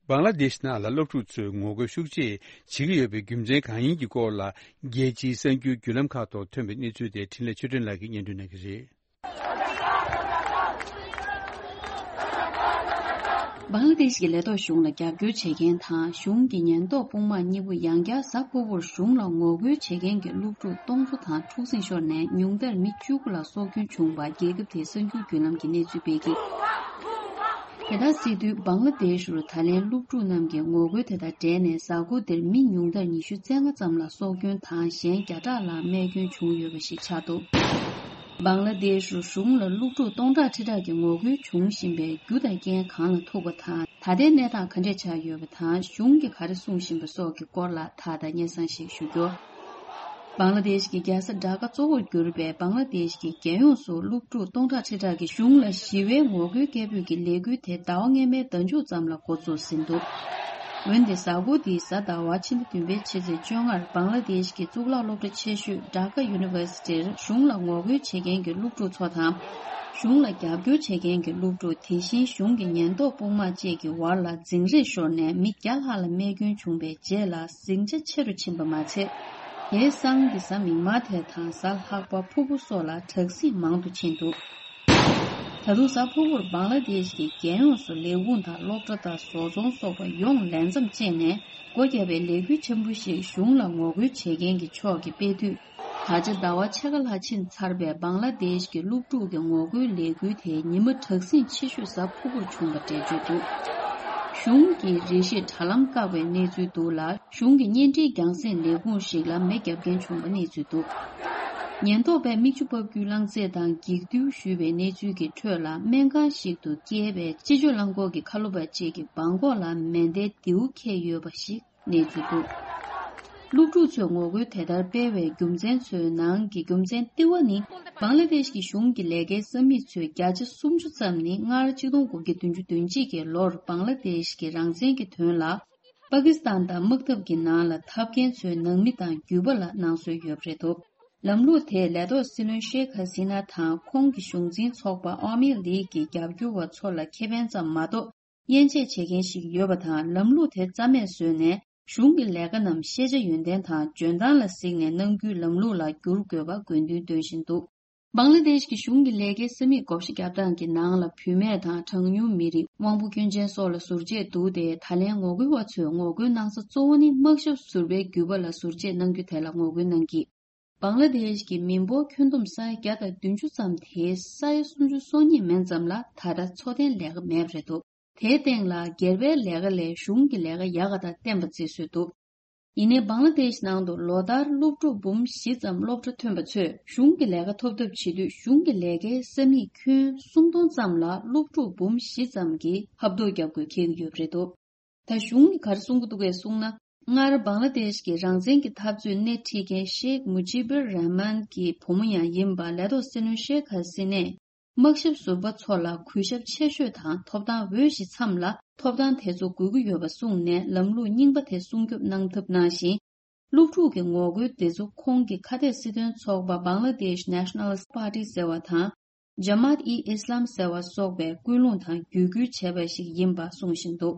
བང་ལ་དེཤ་ནང་ལ་སློབ་ཕྲུག་ཚོས་ངོ་རྒོལ་ཤུགས་ཆེ་བྱེད་ཀྱི་ཡོད་པའི་རྒྱུ་མཚན་གང་ཡིན་གྱི་སྐོར་ལ། རྒྱལ་སྤྱིའི་གསར་འགྱུར་བརྒྱུད་ལམ་ཁག་ཐོག་ཐོན་པའི་གནས་ཚུལ་དེ་འཕྲིན་ལས་ཆོས་སྒྲོན་ལགས་ཀྱིས་སྙན་སྒྲོན་གནང་གི་རེད། བང་ལ་དེཤ་གི་ལས་ཐོག་གཞུང་ལ་རྒྱབ་སྐྱོར་བྱེད་མཁན་དང་གཞུང་གི་ཉེན་རྟོག་དཔུང་དམག་གཉིས་པོ་ཡང་བསྐྱར་གཟའ་ཕུར་བུར་གཞུང་ལ་ངོ་རྒོལ་བྱེད་མཁན་གྱི་སློབ་ཕྲུག་སྟོང་ཚོ་དང་འཁྲུག་ཟིང་ཤོར་ནས་ཉུང་མཐར་མི་བཅུ་དགུ་ལ་སྲོག་སྐྱོན་བྱུང་བ་རྒྱལ་ཁབ་དེའི་གསར་འགྱུར་བརྒྱུད་ལམ་གྱིས་གནས་ཚུལ་སྤེལ་གྱི། དེ་ལྟར་སྲིད་དུས་བང་ལ་དེཤ་རུ་ད་ལན་སློབ་ཕྲུག་རྣམས་ཀྱིས་ངོ་རྒོལ་དེ་དང་འབྲེལ་ནས་གཟའ་འཁོར་འདིར་མི་ཉུང་མཐར་ཉི་ཤུ་རྩ་ལྔ་ཙམ་ལ་སྲོག་སྐྱོན་དང་གཞན་བརྒྱ་ཕྲག་ལྷག་རྨས་སྐྱོན་བྱུང་ཡོད་པ་ཞིག་ཆགས་འདུག་བང་ལ་དེཤ་རུ་གཞུང་ལ་སློབ་ཕྲུག་སྟོང་ཕྲག་ཁྲི་ཕྲག་གིས་ངོ་རྒོལ་བྱུང་བཞིན་པའི་རྒྱུ་དང་རྐྱེན་གང་ལ་ཐུག་པ་དང་། ད་ལྟའི་གནས་སྟངས་ག་འདྲས་ཆགས་ཡོད་པ་དང་། གཞུང་གིས་ག་རེ་གསུངས་བཞིན་པ་སོགས་ཀྱི་སྐོར་ལ་ད་ལྟ་སྙན་སེང་ཞིག་ཞུ་རྒྱུ། བང་ལ་དེཤ་གི་རྒྱལ་ས་ཌ་ཀ་གཙོ་བོར་གྱུར་པའི་བང་ལ་དེཤ་གི་རྒྱལ་ཡོངས་སུ་སློབ་ཕྲུག་སྟོང་ཕྲག་ཁྲི་ཕྲག་གིས་གཞུང་ལ་ཞི་བའི་ངོ་རྒོལ་སྐད་འབོད་ཀྱི་ལས་འགུལ་དེ་ཟླ་བ་སྔོན་མའི་ཟླ་མཇུག་ཙམ་ལ་འགོ་འཛུགས་ཟིན་འདུག་འོན་ཏེ་གཟའ་འཁོར་འདིའི་གཟའ་ཟླ་བ་ཕྱི་ཟླ་བདུན་པའི་ཕྱི་ཚེས་བཅོ་ལྔར་བང་ལ་དེཤ་གི་གཙུག་ལག་སློབ་གྲྭ་ཆེ་ཤོས་ཌ་ཀ་ཡུ་ནི་ཝར་སི་ཊིར་གཞུང་ལ་ངོ་རྒོལ་བྱེད་མཁན་གྱི་སློབ་ཕྲུག་ཚོ་དང་། གཞུང་ལ་རྒྱབ་སྐྱོར་བྱེད་མཁན་གྱི་སློབ་ཕྲུག་དེ་བཞིན་གཞུང་གི་ཉེན་རྟོག་དཔུང་དམག་བཅས་ཀྱི་བར་ལ་འཛིང་རེས་ཤོར་ནས་མི་བརྒྱ་ལྷག་ལ་རྨས་སྐྱོན་བྱུང་བའི་རྗེས་ལ་ཟིང་ཆ་ཆེ་རུ་ཕྱིན་པ་མ་ཚད། དེའི་སང་གི་གཟའ་མིག་དམར་དེ་དང་གཟའ་ལྷག་པ་ཕུར་བུ་སོགས་ལ་དྲག་ཟིང་མང་དུ་ཕྱིན་འདུག་ད་དུང་གཟའ་ཕུར་བུར་བང་ལ་དེཤ་གི་རྒྱལ་ཡོངས་སུ་ལས་ཁུངས་དང་སློབ་གྲྭ་དང་བཟོ་ཚོང་སོགས་པ་ཡོངས་ལས་མཚམས་བཅད་ནས་སྒོ་བརྒྱབ་པའི་ལས་འགུལ་ཆེན་པོ་ཞིག་གཞུང་ལ་ངོ་རྒོལ་བྱེད་མཁན་གྱི་ཕྱོགས་ཀྱིས་སྤེལ་དུས། ད་ཆ་ཟླ་བ་ཕྱེད་ཀ་ལྷག་ཕྱིན་ཚར་བའི་བང་ལ་དེཤ་གི་སློབ་ཕྲུག་གི་ངོ་རྒོལ་ལས་འགུལ་དེའི་ཉི་མ་དྲག་ཟིང་ཆེ་ཤོས་གཟའ་ཕུར་བུར་བྱུང་བ་འགྲེལ་བརྗོད་འདུག་གཞུང་གིས་རེ་ཞིག་དྲ་ལམ་བཀག་པའི་གནས་ཚུལ་འདུག་ལ། གཞུང་གི་བརྙན་འཕྲིན་རྒྱང་སྲིང་ལས་ཁུངས་ཤིག་ལ་མེ་བརྒྱབ་མཁན་བྱུང་བའི་གནས་ཚུལ་འདུག་ཉེན་རྟོག་པས་མིག་ཆུ་ཕབ་རྒྱུའི་རླངས་རྫས་དང་འགྱིག་རྡུལ་གཞུས་པའི་གནས་ཚུལ་གྱི་ཁྲོད་ལ། སྨན་ཁང་ཞིག་ཏུ་སྐྱེས་པའི་སྤྱི་སྤྱོད་རླངས་འཁོར་གྱི་ཁ་ལོ་པ་ཅིག་གི་སྦྲང་ཁོག་ལ་མེ་མདའི་མདེའུ་འཁེལ་ཡོད་པ་ཞིག་གནས་ཚུལ་འདུག་སློབ་ཕྲུག་ཚོས་ངོ་རྒོལ་དེ་ལྟར་སྤེལ་བའི་རྒྱུ་མཚན་ཚོའི་ནང་གི་རྒྱུ་མཚན་ལྟེ་བ་ནི། བང་ལ་དེཤ་གི་གཞུང་གི་ལས་ཀའི་ས་མིག་ཚོའི་བརྒྱ་ཆ་སུམ་ཅུ་ཙམ་ནི་སྔར་ཆིག་སྟོང་དགུ་བརྒྱ་བདུན་ཅུ་དོན་གཅིག་གི་ལོར་བང་ལ་དེཤ་གི་རང་བཙན་གྱི་དོན་ལ་པ་ཀི་སི་ཐན་དང་དམག་འཐབ་ཀྱི་ནང་ལ་འཐབ་མཁན་ཚོའི་ནང་མི་དང་རྒྱུད་པ་ལ་གནང་སྲོལ་ཡོད་པ་རེད་འདུག་ལམ་ལུགས་དེས་ལས་ཐོག་སྲིད་བློན་ཤེག་ཧ་སི་ན་དང་ཁོང་གི་གཞུང་འཛིན་ཚོགས་པ་ཨོ་མི་ལིག་གི་རྒྱབ་སྐྱོར་བ་ཚོ་ལ་ཁེ་ཕན་ཙམ་མ་གཏོགས། དབྱེ་འབྱེད་བྱེད་མཁན་ཞིག་ཡོད་པ་དང་། ལམ་ལུགས་དེ་རྩ་མེད་བཟོས་ནས་གཞུང་གི་ལས་ཀ་རྣམས་ཤེས་བྱ་ཡོན་ཏན་དང་འཇོན་ཐང་ལ་གཟིགས་ནས་གནང་རྒྱུའི་ལམ་ལུགས་ལ་བསྒྱུར་དགོས་པ་དགོས་འདུན་འདོན་བཞིན་འདུག་བང་ལ་དེཤ་གི་གཞུང་གི་ལས་ཀའི་ས་མིག་བགོ་བཤའ་བརྒྱབ་སྟངས་ཀྱི་ནང་ལ་བུད་མེད་དང་གྲངས་ཉུང་མི་རིགས། དབང་པོ་སྐྱོན་ཅན་སོགས་ལ་ཟུར་བཅད་འདུག་སྟེ། ད་ལན་ངོ་རྒོལ་བ་ཚོས་ངོ་རྒོལ་གནང་ས་གཙོ་བོ་ནི་དམག་ཞབས་ཟུར་པའི་རྒྱུད་པ་ལ་ཟུར་བཅད་གནང་རྒྱུ་དེ་ལ་ངོ་རྒོལ་གནང་གིས། བང་ལ་དེཤ་གི་མི་འབོར་ཁྱོན་བསྡོམས་ས་ཡ་བརྒྱ་དང་བདུན་ཅུ་ཙམ་དེའི་ས་ཡ་སུམ་ཅུ་སོ་གཉིས་མན་ཙམ་ལ་ད་ལྟ་འཚོ་རྟེན་ལས་ཀ་མེད་པ་རེད་འདུག་དེའི་སྟེང་ལ་སྒེར་པའི་ལས་ཀ་ལས་གཞུང་གི་ལས་ཀ་ཡག་ག་དང་བརྟེན་པ་བརྩི་སྲོལ་འདུག་ཡིན་ནའི་བང་ལ་དེཤ་ནང་དུ་ལོ་ལྟར་སློབ་ཕྲུག་འབུམ་བཞི་ཙམ་སློབ་གྲྭ་ཐོན་པ་ཚོས་གཞུང་གི་ལས་ཀ་ཐོབ་ཐབས་བྱེད་དུས། གཞུང་གི་ལས་ཀའི་ས་མིག་ཁྱོན་སུམ་སྟོང་ཙམ་ལ་སློབ་ཕྲུག་འབུམ་བཞི་ཙམ་གྱིས་ཧབ་ཐོབ་བརྒྱབ་དགོས་འཁེལ་གྱི་ཡོད་པ་རེད་འདུག་ད་གཞུང་གིས་ག་རེ་གསུང་གི་འདུག་གས་གསུངས་ན། སྔར་བང་ལ་དེཤ་གི་རང་བཙན་གྱི་འཐབ་རྩོད་སྣེ་ཁྲིད་མཁན་ཤེག་མུ་ཇི་བུར་ར་མན་གྱི་བུ་མོ་ཡང་ཡིན་པ་ལས་ཐོག་སྲིད་བློན་ཤེག་ཧ་སི་ནས། དམག་ཞབས་ཟུར་པ་ཚོ་ལ་གུས་ཞབས་ཆེ་ཤོས་དང་ཐོབ་ཐང་འོས་གཞི་མཚམས་ལ་ཐོབ་ཐང་དེ་ཚོ་དགོས་ཀྱི་ཡོད་པ་གསུངས་ནས། ལམ་ལུགས་རྙིང་པ་དེ་སྲུང་སྐྱོབ་གནང་ཐབས་གནང་ཞིང་། སློབ་ཕྲུག་གི་ངོ་རྒོལ་དེ་ཚོ་ཁོང་གི་ཁ་གཏད་སྲིད་དོན་ཚོགས་པ་Bangladesh Nationalist Party ཟེར་བ་དང་། Jamaat-e-Islam ཟེར་བ་སོགས་པས་སྐུལ་སློང་དང་བརྒྱུད་སྐུལ་བྱས་པ་ཞིག་ཡིན་པ་གསུངས་བཞིན་འདུག་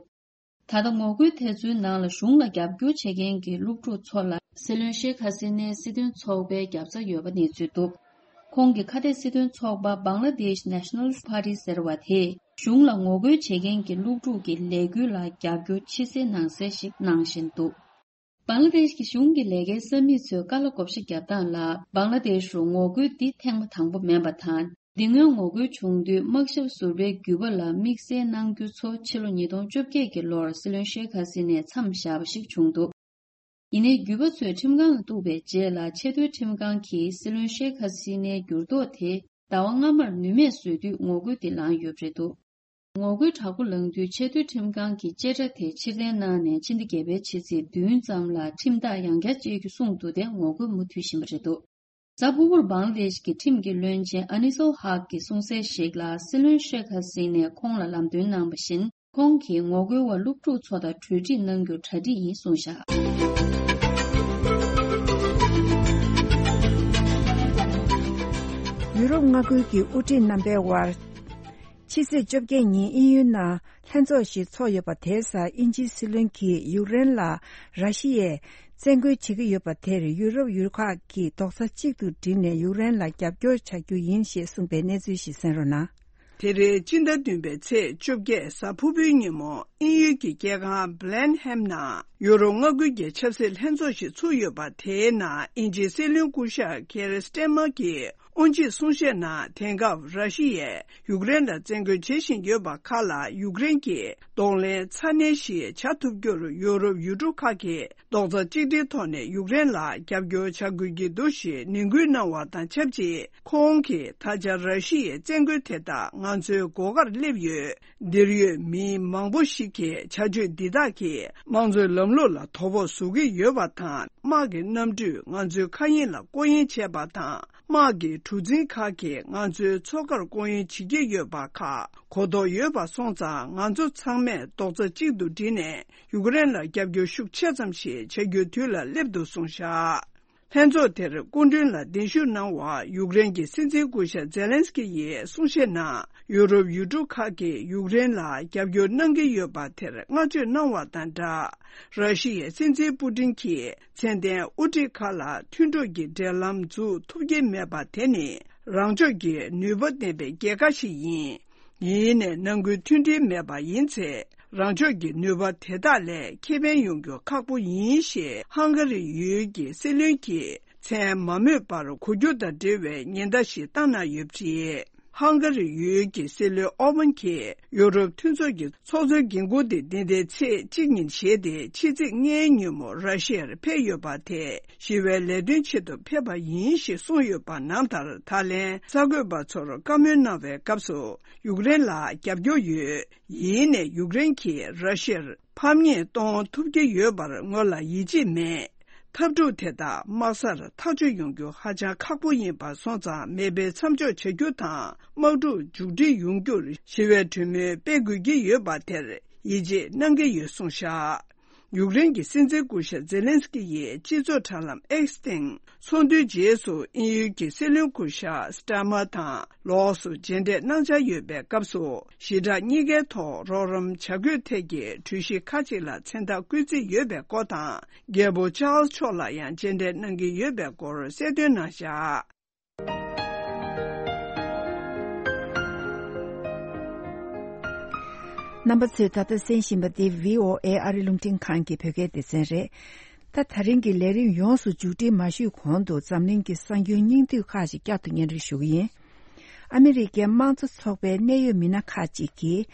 ད་ལྟ་ངོ་རྒོལ་དེ་ཚོའི་ནང་ལ་གཞུང་ལ་རྒྱབ་སྐྱོར་བྱེད་མཁན་གྱི་སློབ་ཕྲུག་ཚོ་ལ་སྲིད་བློན་ཤེག་ཧ་སི་ནའི་སྲིད་དོན་ཚོགས་པའི་རྒྱབ་རྩ་ཡོད་པ་གནས་ཚུལ་འདུག་ཁོང་གི་ཁ་གཏད་སྲིད་དོན་ཚོགས་པ་Bangladesh Nationalist Party ཟེར་བ་དེས་གཞུང་ལ་ངོ་རྒོལ་བྱེད་མཁན་གྱི་སློབ་ཕྲུག་གི་ལས་འགུལ་ལ་རྒྱབ་སྐྱོར་ཕྱི་གསལ་ནང་གསལ་ཞིག་གནང་བཞིན་འདུག་བང་ལ་དེཤ་གི་གཞུང་གི་ལས་ཀའི་ས་མིག་ཚོས་བཀའ་སློབ་བགོ་བཤའ་བརྒྱབ་སྟངས་ལ། བང་ལ་དེཤ་རུ་ངོ་རྒོལ་འདི་ཐེངས་མ་དང་པོ་མིན་པ་དང་། འདི་སྔོན་ངོ་རྒོལ་བྱུང་དུས་དམག་ཞབས་ཟུར་པའི་རྒྱུད་པ་ལ་དམིགས་བསལ་གནང་རྒྱུ་ཚོ་ཕྱི་ལོ་ཉིས་སྟོང་བཅོ་བརྒྱད་ཀྱི་ལོར་སྲིད་བློན་ཤེག་ཧ་སི་ནས་མཚམས་བཞག་པ་ཞིག་བྱུང་འདུག་ཡིན་ནའི་རྒྱུད་པ་ཚོས་ཁྲིམས་ཁང་ལ་གཏུགས་པའི་རྗེས་ལ། ཆེས་མཐོའི་ཁྲིམས་ཁང་གིས་སྲིད་བློན་ཤེག་ཧ་སི་ནའི་འགྱུར་ལྡོག་དེ་ཟླ་བ་སྔ་མར་ནུས་མེད་བཟོས་དུས་ངོ་རྒོལ་འདི་ལངས་ཡོད་པ་རེད་འདུག་ངོ་རྒོལ་དྲག་པོ་ལངས་དུས་ཆེས་མཐོའི་ཁྲིམས་ཁང་གིས་བཅད་ཁྲ་དེ་ཕྱིར་འཐེན་གནང་ནས་ཕྱི་ཟླ་བརྒྱད་པའི་ཕྱི་ཚེས་བདུན་ཙམ་ལ་ཁྲིམས་ཐག་ཡང་བསྐྱར་བཅད་རྒྱུ་གསུངས་འདུག་སྟེ། ངོ་རྒོལ་མུ་མཐུད་བཞིན་པ་རེད་འདུག་གཟའ་ཕུར་བུར་བང་ལ་དེཤ་གི་ཁྲིམས་ཀྱི་བློན་ཆེན་ཨ་ནི་སོལ་ཧག་གིས་གསུངས་གསལ་ཞིག་ལ། སྲིད་བློན་ཤེག་ཧ་སི་ནས་ཁོང་ལ་ལམ་སྟོན་གནང་བ་བཞིན། ཁོང་གིས་ངོ་རྒོལ་བ་སློབ་ཕྲུག་ཚོ་དང་གྲོས་འགྲིག་གནང་རྒྱུར་གྲ་སྒྲིག་ཡིན་གསུངས་བཞག་ཡུ་རོབ་མངའ་ཁུལ་གྱི་དབུ་ཁྲིད་རྣམ་པའི་དབར། ཕྱི་ཚེས་བཅོ་བརྒྱད་ཉིན་དབྱིན་ཡུལ་ནང་ལྷན་ཚོགས་ཤིག་ཚོགས་ཡོད་པ་དེའི་སར་དབྱིན་ཇིའི་སྲིད་བློན་གྱིས་ཡུཀ་རེན་ལ་ར་ཤི་ཡས་བཙན་རྒོལ་བྱེད་ཀྱི་ཡོད་པ་དེར་ཡུ་རོབ་ཡུལ་ཁག་གིས་རྡོག་རྩ་གཅིག་ཏུ་བསྒྲིལ་ནས་ཡུཀ་རེན་ལ་རྒྱབ་སྐྱོར་བྱ་རྒྱུ་ཡིན་ཞེས་གསུངས་པའི་གནས་ཚུལ་ཞིག་གསན་རོགས་གནང་། དེ་རིང་སྤྱི་ཟླ་བདུན་པའི་ཚེས་བཅོ་བརྒྱད་གཟའ་ཕུར་བུའི་ཉིན་མོ་དབྱིན་ཡུལ་གྱི་རྒྱལ་ཁང་Blenheim་ནང་ཡུ་རོབ་མངའ་ཁུལ་གྱི་ཆབ་སྲིད་ལྷན་ཚོགས་ཤིག་ཚུགས་ཡོད་པ་དེའི་ནང་དབྱིན་ཇིའི་སྲིད་བློན་སྐུ་ཞབས་Keir Starmer་གྱིས་དབུ་འབྱེད་གསུང་བཤད་ནང་དེང་སྐབས་ར་ཤི་ཡས་ཡུཀ་རེན་ལ་བཙན་རྒོལ་བྱེད་བཞིན་ཡོད་པ་ཁག་ལ་ཡུཀ་རེན་གྱིས་གདོང་ལེན་ཚ་ནན་ཞིག་བྱ་ཐུབ་རྒྱུར་ཡུ་རོབ་ཡུལ་གྲུ་ཁག་གིས་རྡོག་རྩ་གཅིག་སྒྲིལ་ཐོག་ནས་ཡུཀ་རེན་ལ་རྒྱབ་སྐྱོར་བྱ་དགོས་ཀྱི་འདུག་ཞེས་ནན་སྐུལ་གནང་བ་དང་ཆབས་ཅིག་ཁོང་གིས་ད་ཆ་ར་ཤི་ཡའི་བཙན་རྒོལ་དེ་དག་ང་ཚོའི་སྒོ་ཁར་སླེབས་ཡོད། འདིར་ཡོད་མི་མང་པོ་ཞིག་གིས་བྱ་སྤྱོད་འདི་དག་གིས་དམངས་གཙོའི་ལམ་ལུགས་ལ་དོ་ཕོག་བཟོ་གི་ཡོད་པ་དང་། དམག་གི་གནམ་གྲུས་ང་ཚོའི་མཁའ་དབྱིངས་ལ་སྐོར་གཡེང་བྱས་པ་དང་། དམག་གི་གྲུ་གཟིངས་ཁག་གིས་ང་ཚོའི་མཚོ་ཁར་སྐོར་གཡེང་བྱེད་ཀྱི་ཡོད་པ་ཁག་གོ་རྟོགས་ཡོད་པ་སོང་ཙང་། ང་ཚོ་ཚང་མས་རྡོག་རྩ་གཅིག་ཏུ་བསྒྲིལ་ནས་ཡུཀ་རེན་ལ་རྒྱབ་སྐྱོར་ཤུགས་ཆེ་ཙམ་ཞིག་བྱ་རྒྱུའི་དུས་ལ་སླེབས་འདུག་གསུངས་བཞག་ལྷན་ཚོགས་དེར་སྐུ་མགྲོན་ལ་གདན་ཞུ་གནང་བར་ཡུཀ་རེན་གྱི་སྲིད་འཛིན་སྐུ་ཞབས་ཛེ་ལན་སི་ཀི་ཡིས་གསུང་བཤད་ནང་ཡུ་རོབ་ཡུལ་གྲུ་ཁག་གིས་ཡུཀ་རེན་ལ་རྒྱབ་སྐྱོར་གནང་གི་ཡོད་པ་དེར་བསྔགས་བརྗོད་གནང་བ་དང་སྦྲགས། ར་ཤི་ཡའི་སྲིད་འཛིན་པུ་ཏིན་གྱིས་མཚན་ལྡན་དབུ་ཁྲིད་ཁག་ལ་མཐུན་གྲོགས་ཀྱི་འབྲེལ་ལམ་འཛུགས་ཐུབ་ཀྱི་མེད་པ་དེ་ནི་རང་ཕྱོགས་ཀྱི་ནུས་པ་ལྡན་པའི་རྒྱལ་ཁ་ཞིག་ཡིན། ཡིན་ནའི་ནང་ཁུལ་མཐུན་སྒྲིལ་མེད་པ་ཡིན་ཚེ། རང་ཕྱོགས་ཀྱི་ནུས་པ་དེ་དག་ལས་ཁེ་ཕན་ཡོང་རྒྱུ་ཁག་པོ་ཡིན་ཞེས་ཧང་ག་རི་ཡུལ་གྱི་སྲིད་བློན་གྱིས་མཚན་མ་སྨོས་པར་གོ་རྒྱུ་དང་འབྲེལ་བའི་ཉེན་བརྡ་ཞིག་བཏང་གནང་ཡོད་པ་རེད། ཧང་ག་རི་ཡུལ་གྱི་སྲིད་བློན་ཨོ་བན་གྱིས་ཡུ་རོབ་མཐུན་ཚོགས་ཀྱི་ཚོགས་གཙོའི་འགན་འཁུར་དེ་འདི་ཟླའི་ཚེས་གཅིག་ཉིན་བཞེས་ཏེ། ཕྱི་ཚེས་ལྔའི་ཉིན་མོ་ར་ཤི་ཡར་ཕེབས་ཡོད་པ་དེས་ཞི་བའི་ལས་དོན་ཆེད་དུ་ཕེབས་པ་ཡིན་ཞེས་གསུངས་ཡོད་པ་ནང་ལྟར། ད་ལན་གསར་འགོད་པ་ཚོར་བཀའ་མོལ་གནང་བའི་སྐབས་སུ་ཡུཀ་རེན་ལ་རྒྱབ་སྐྱོར་ཡོད། ཡིན་ནའི་ཡུཀ་རེན་གྱིས་ར་ཤི་ཡར་ཕམ་ཉེས་གཏོང་ཐུབ་ཀྱི་ཡོད་པར་ངོས་ལ་ཡིད་ཆེས་མེད། འཐབ་འཁྲུག་དེ་དག་དམག་སར་ཐག་གཅོད་ཡོང་རྒྱུ་ཧ་ཅང་ཁག་པོ་ཡིན་པ་སོང་ཙང་། མེ་འཕེན་མཚམས་འཇོག་བྱ་རྒྱུ་དང་དམག་འཁྲུག་མཇུག་སྒྲིལ་ཡོང་རྒྱུར་ཞི་བའི་གྲོས་མོལ་སྤེལ་དགོས་ཀྱི་ཡོད་པ་དེར་ཡིད་ཆེས་གནང་གི་ཡོད་གསུངས་བཞག་ཡུཀ་རེན་གྱི་སྲིད་འཛིན་སྐུ་ཞབས་ཛེ་ལན་སི་ཀི་ཡིས་སྤྱི་ཚོགས་དྲ་ལམ་X་སྟེང་ཚོགས་འདུའི་རྗེས་སུ་དབྱིན་ཡུལ་གྱི་སྲིད་བློན་སྐུ་ཞབས་སི་ཏཱ་མར་དང་ལོགས་སུ་མཇལ་འཕྲད་གནང་འཆར་ཡོད་པའི་སྐབས་སུ། ཞི་དྲག་གཉིས་ཀའི་ཐོག་རོགས་རམ་བྱ་དགོས་ཐད་ཀྱི་གྲོས་གཞི་ཁག་ཅིག་ལ་མཚན་རྟགས་བཀོད་རྩིས་ཡོད་པའི་སྐོར་དང་། རྒྱལ་པོ་ཅཱལ་སི་མཆོག་ལ་ཡང་མཇལ་འཕྲད་གནང་གི་ཡོད་པའི་སྐོར་གསལ་སྟོན་གནང་བཞག་རྣམ་པ་ཚོས་ད་ལྟ་གསན་བཞིན་པ་འདི་V O A་ཨ་རི་རླུང་འཕྲིན་ཁང་གི་བོད་སྐད་སྡེ་ཚན་རེད། ད་ད་རིང་གི་ལས་རིམ་ཡོངས་སུ་མཇུག་སྒྲིལ་མ་ཞུས་གོང་དུ་འཛམ་གླིང་གི་གསར་འགྱུར་སྙིང་བསྡུས་ཁག་ཅིག་བསྐྱར་དུ་སྙན་སྒྲོན་ཞུ་གི་ཡིན། ཨ་མི་རི་ཀའི་དམངས་གཙོ་ཚོགས་པའི་གནད་ཡོད་མི་སྣ་ཁག་ཅིག་གིས་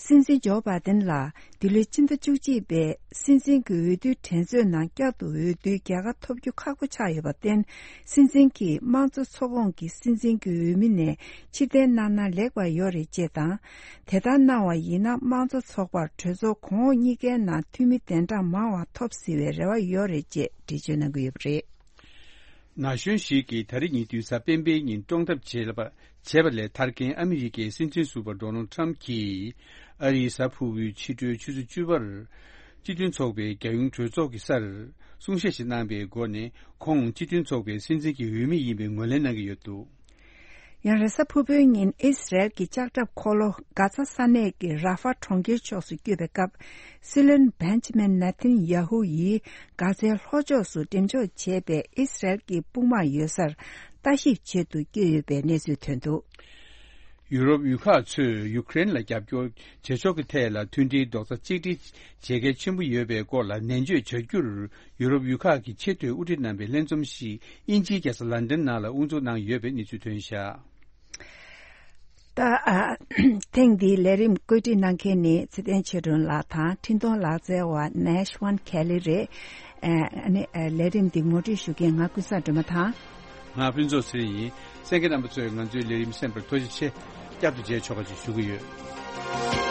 སྲིད་འཛིན་ཇོ་བྷའི་ཏིན་ལ་འདི་ལོའི་སྤྱི་ཟླ་བཅུ་གཅིག་པའི་སྲིད་འཛིན་གྱི་འོས་བསྡུའི་འགྲན་རྩོད་ནང་བསྐྱར་དུ་འོས་བསྡུའི་རྒྱལ་ཁ་ཐོབ་རྒྱུ་ཁག་པོ་ཆགས་ཡོད་པར་བརྟེན། སྲིད་འཛིན་གྱིས་དམངས་གཙོ་ཚོགས་ཁོངས་ཀྱི་སྲིད་འཛིན་གྱི་འོས་མི་ནས་ཕྱིར་འཐེན་གནང་ན་ལེགས་པ་ཡོད་རེད་ཅེས་དང་། དེ་ལྟར་གནང་བ་ཡིན་ན་དམངས་གཙོ་ཚོགས་པར་གྲོས་ཚོགས་གོང་འོག་གཉིས་ཀའི་ནང་འཐུས་མི་གདན་གྲངས་མང་བ་ཐོབ་སྲིད་པའི་རེ་བ་ཡོད་རེད་ཅེས་འགྲེལ་བརྗོད་གནང་གི་ཡོད་པ་རེད། ན་གཞོན་ཞིག་གིས་ད་རེས་ཉེ་དུས་གཟའ་སྤེན་པའི་ཉིན་བཀྲོངས་ཐབས་བྱས་པ་བྱས་པ་ལས་ཐར་མཁན་ཨ་མི་རི་ཀའི་སྲིད་འཛིན་ཟུར་པ་ཌོ་ནལ་ཊམ་གྱིས་ཨ་རིའི་གཟའ་ཕུར་བུའི་ཕྱི་དྲོའི་ཆུ་ཚོད་བཅུ་པར་སྤྱི་མཐུན་ཚོགས་པའི་རྒྱལ་ཡོངས་གྲོས་ཚོགས་ཀྱི་སར་གསུང་བཤད་ཞིག་གནང་པའི་སྒོ་ནས། ཁོང་སྤྱི་མཐུན་ཚོགས་པའི་སྲིད་འཛིན་གྱི་འོས་མི་ཡིན་པའི་ངོས་ལེན་གནང་གི་ཡོད་འདུག་ཡང་རེས་གཟའ་ཕུར་བུའི་ཉིན་ཨིས་རལ་གྱི་ལྕགས་ཁྲབ་འཁོར་ལོ་གྷ་ཛ་ས་གནས་ཀྱི་ར་ཧྥ་གྲོང་ཁྱེར་ཕྱོགས་སུ་བསྐྱོད་པའི་སྐབས། སྲིད་བློན་བེན་ཇ་མིན་ནེ་ཐན་ཡ་ཧུ་ཡིས་གྷ་ཛའི་ལྷོ་ཕྱོགས་སུ་འགྲེམས་འཇོག་བྱས་པའི་ཨིས་རལ་གྱི་དཔུང་དམག་ཡོད་སར་ལྟ་ཞིབ་ཆེད་དུ་བསྐྱོད་ཡོད་པའི་གནས་ཚུལ་ཐོན་འདུག་ཡུ་རོབ་ཡུལ་ཁག་ཚོས་ཡུ་ཀེ་རེན་ལ་རྒྱབ་སྐྱོར་བྱེད་ཕྱོགས་ཀྱི་ཐད་ལ་མཐུན་སྒྲིལ་རྡོག་རྩ་གཅིག་སྒྲིལ་བྱེད་གལ་ཆེན་པོ་ཡོད་པའི་སྐོར་ལ་ནན་བརྗོད་བྱ་རྒྱུར། ཡུ་རོབ་ཡུལ་ཁག་གི་ཆེས་མཐོའི་དབུ་ཁྲིད་རྣམ་པའི་ལྷན་འཛོམས་ཤིག་དབྱིན་ཇིའི་རྒྱལ་ས་ལན་ཌན་ནང་ལ་དབུ་འཛུགས་གནང་ཡོད་པའི་གནས་ཚུལ་ཐོན་བཞག་ད་ཨ། ཐེངས་འདིའི་ལས་རིམ་བཀོད་སྒྲིག་གནང་མཁན་ནི་ཚེ་བརྟན་ཆོས་སྒྲོན་ལགས་དང་འཕྲིན་གཏོང་ལག་རྩལ་བ་ནེ་ཤི་ཝན་ཁེ་ལི་རེད། ཨ་ནི་ལས་རིམ་འདི་ངོ་སྤྲོད་ཞུ་མཁན་ང་ཀུན་བཟང་སྒྲོལ་མ་དང་། ང་ཕུན་ཚོགས་ཚེ་རིང་ཡིན། གསན་མཁན་རྣམ་པ་ཚོས་ང་ཚོའི་ལས་རིམ་གསན་པར་ཐུགས་རྗེ་ཆེ། བསྐྱར་དུ་མཇལ་ཆོག་པ་ཞིག་ཞུ་གི་ཡོད།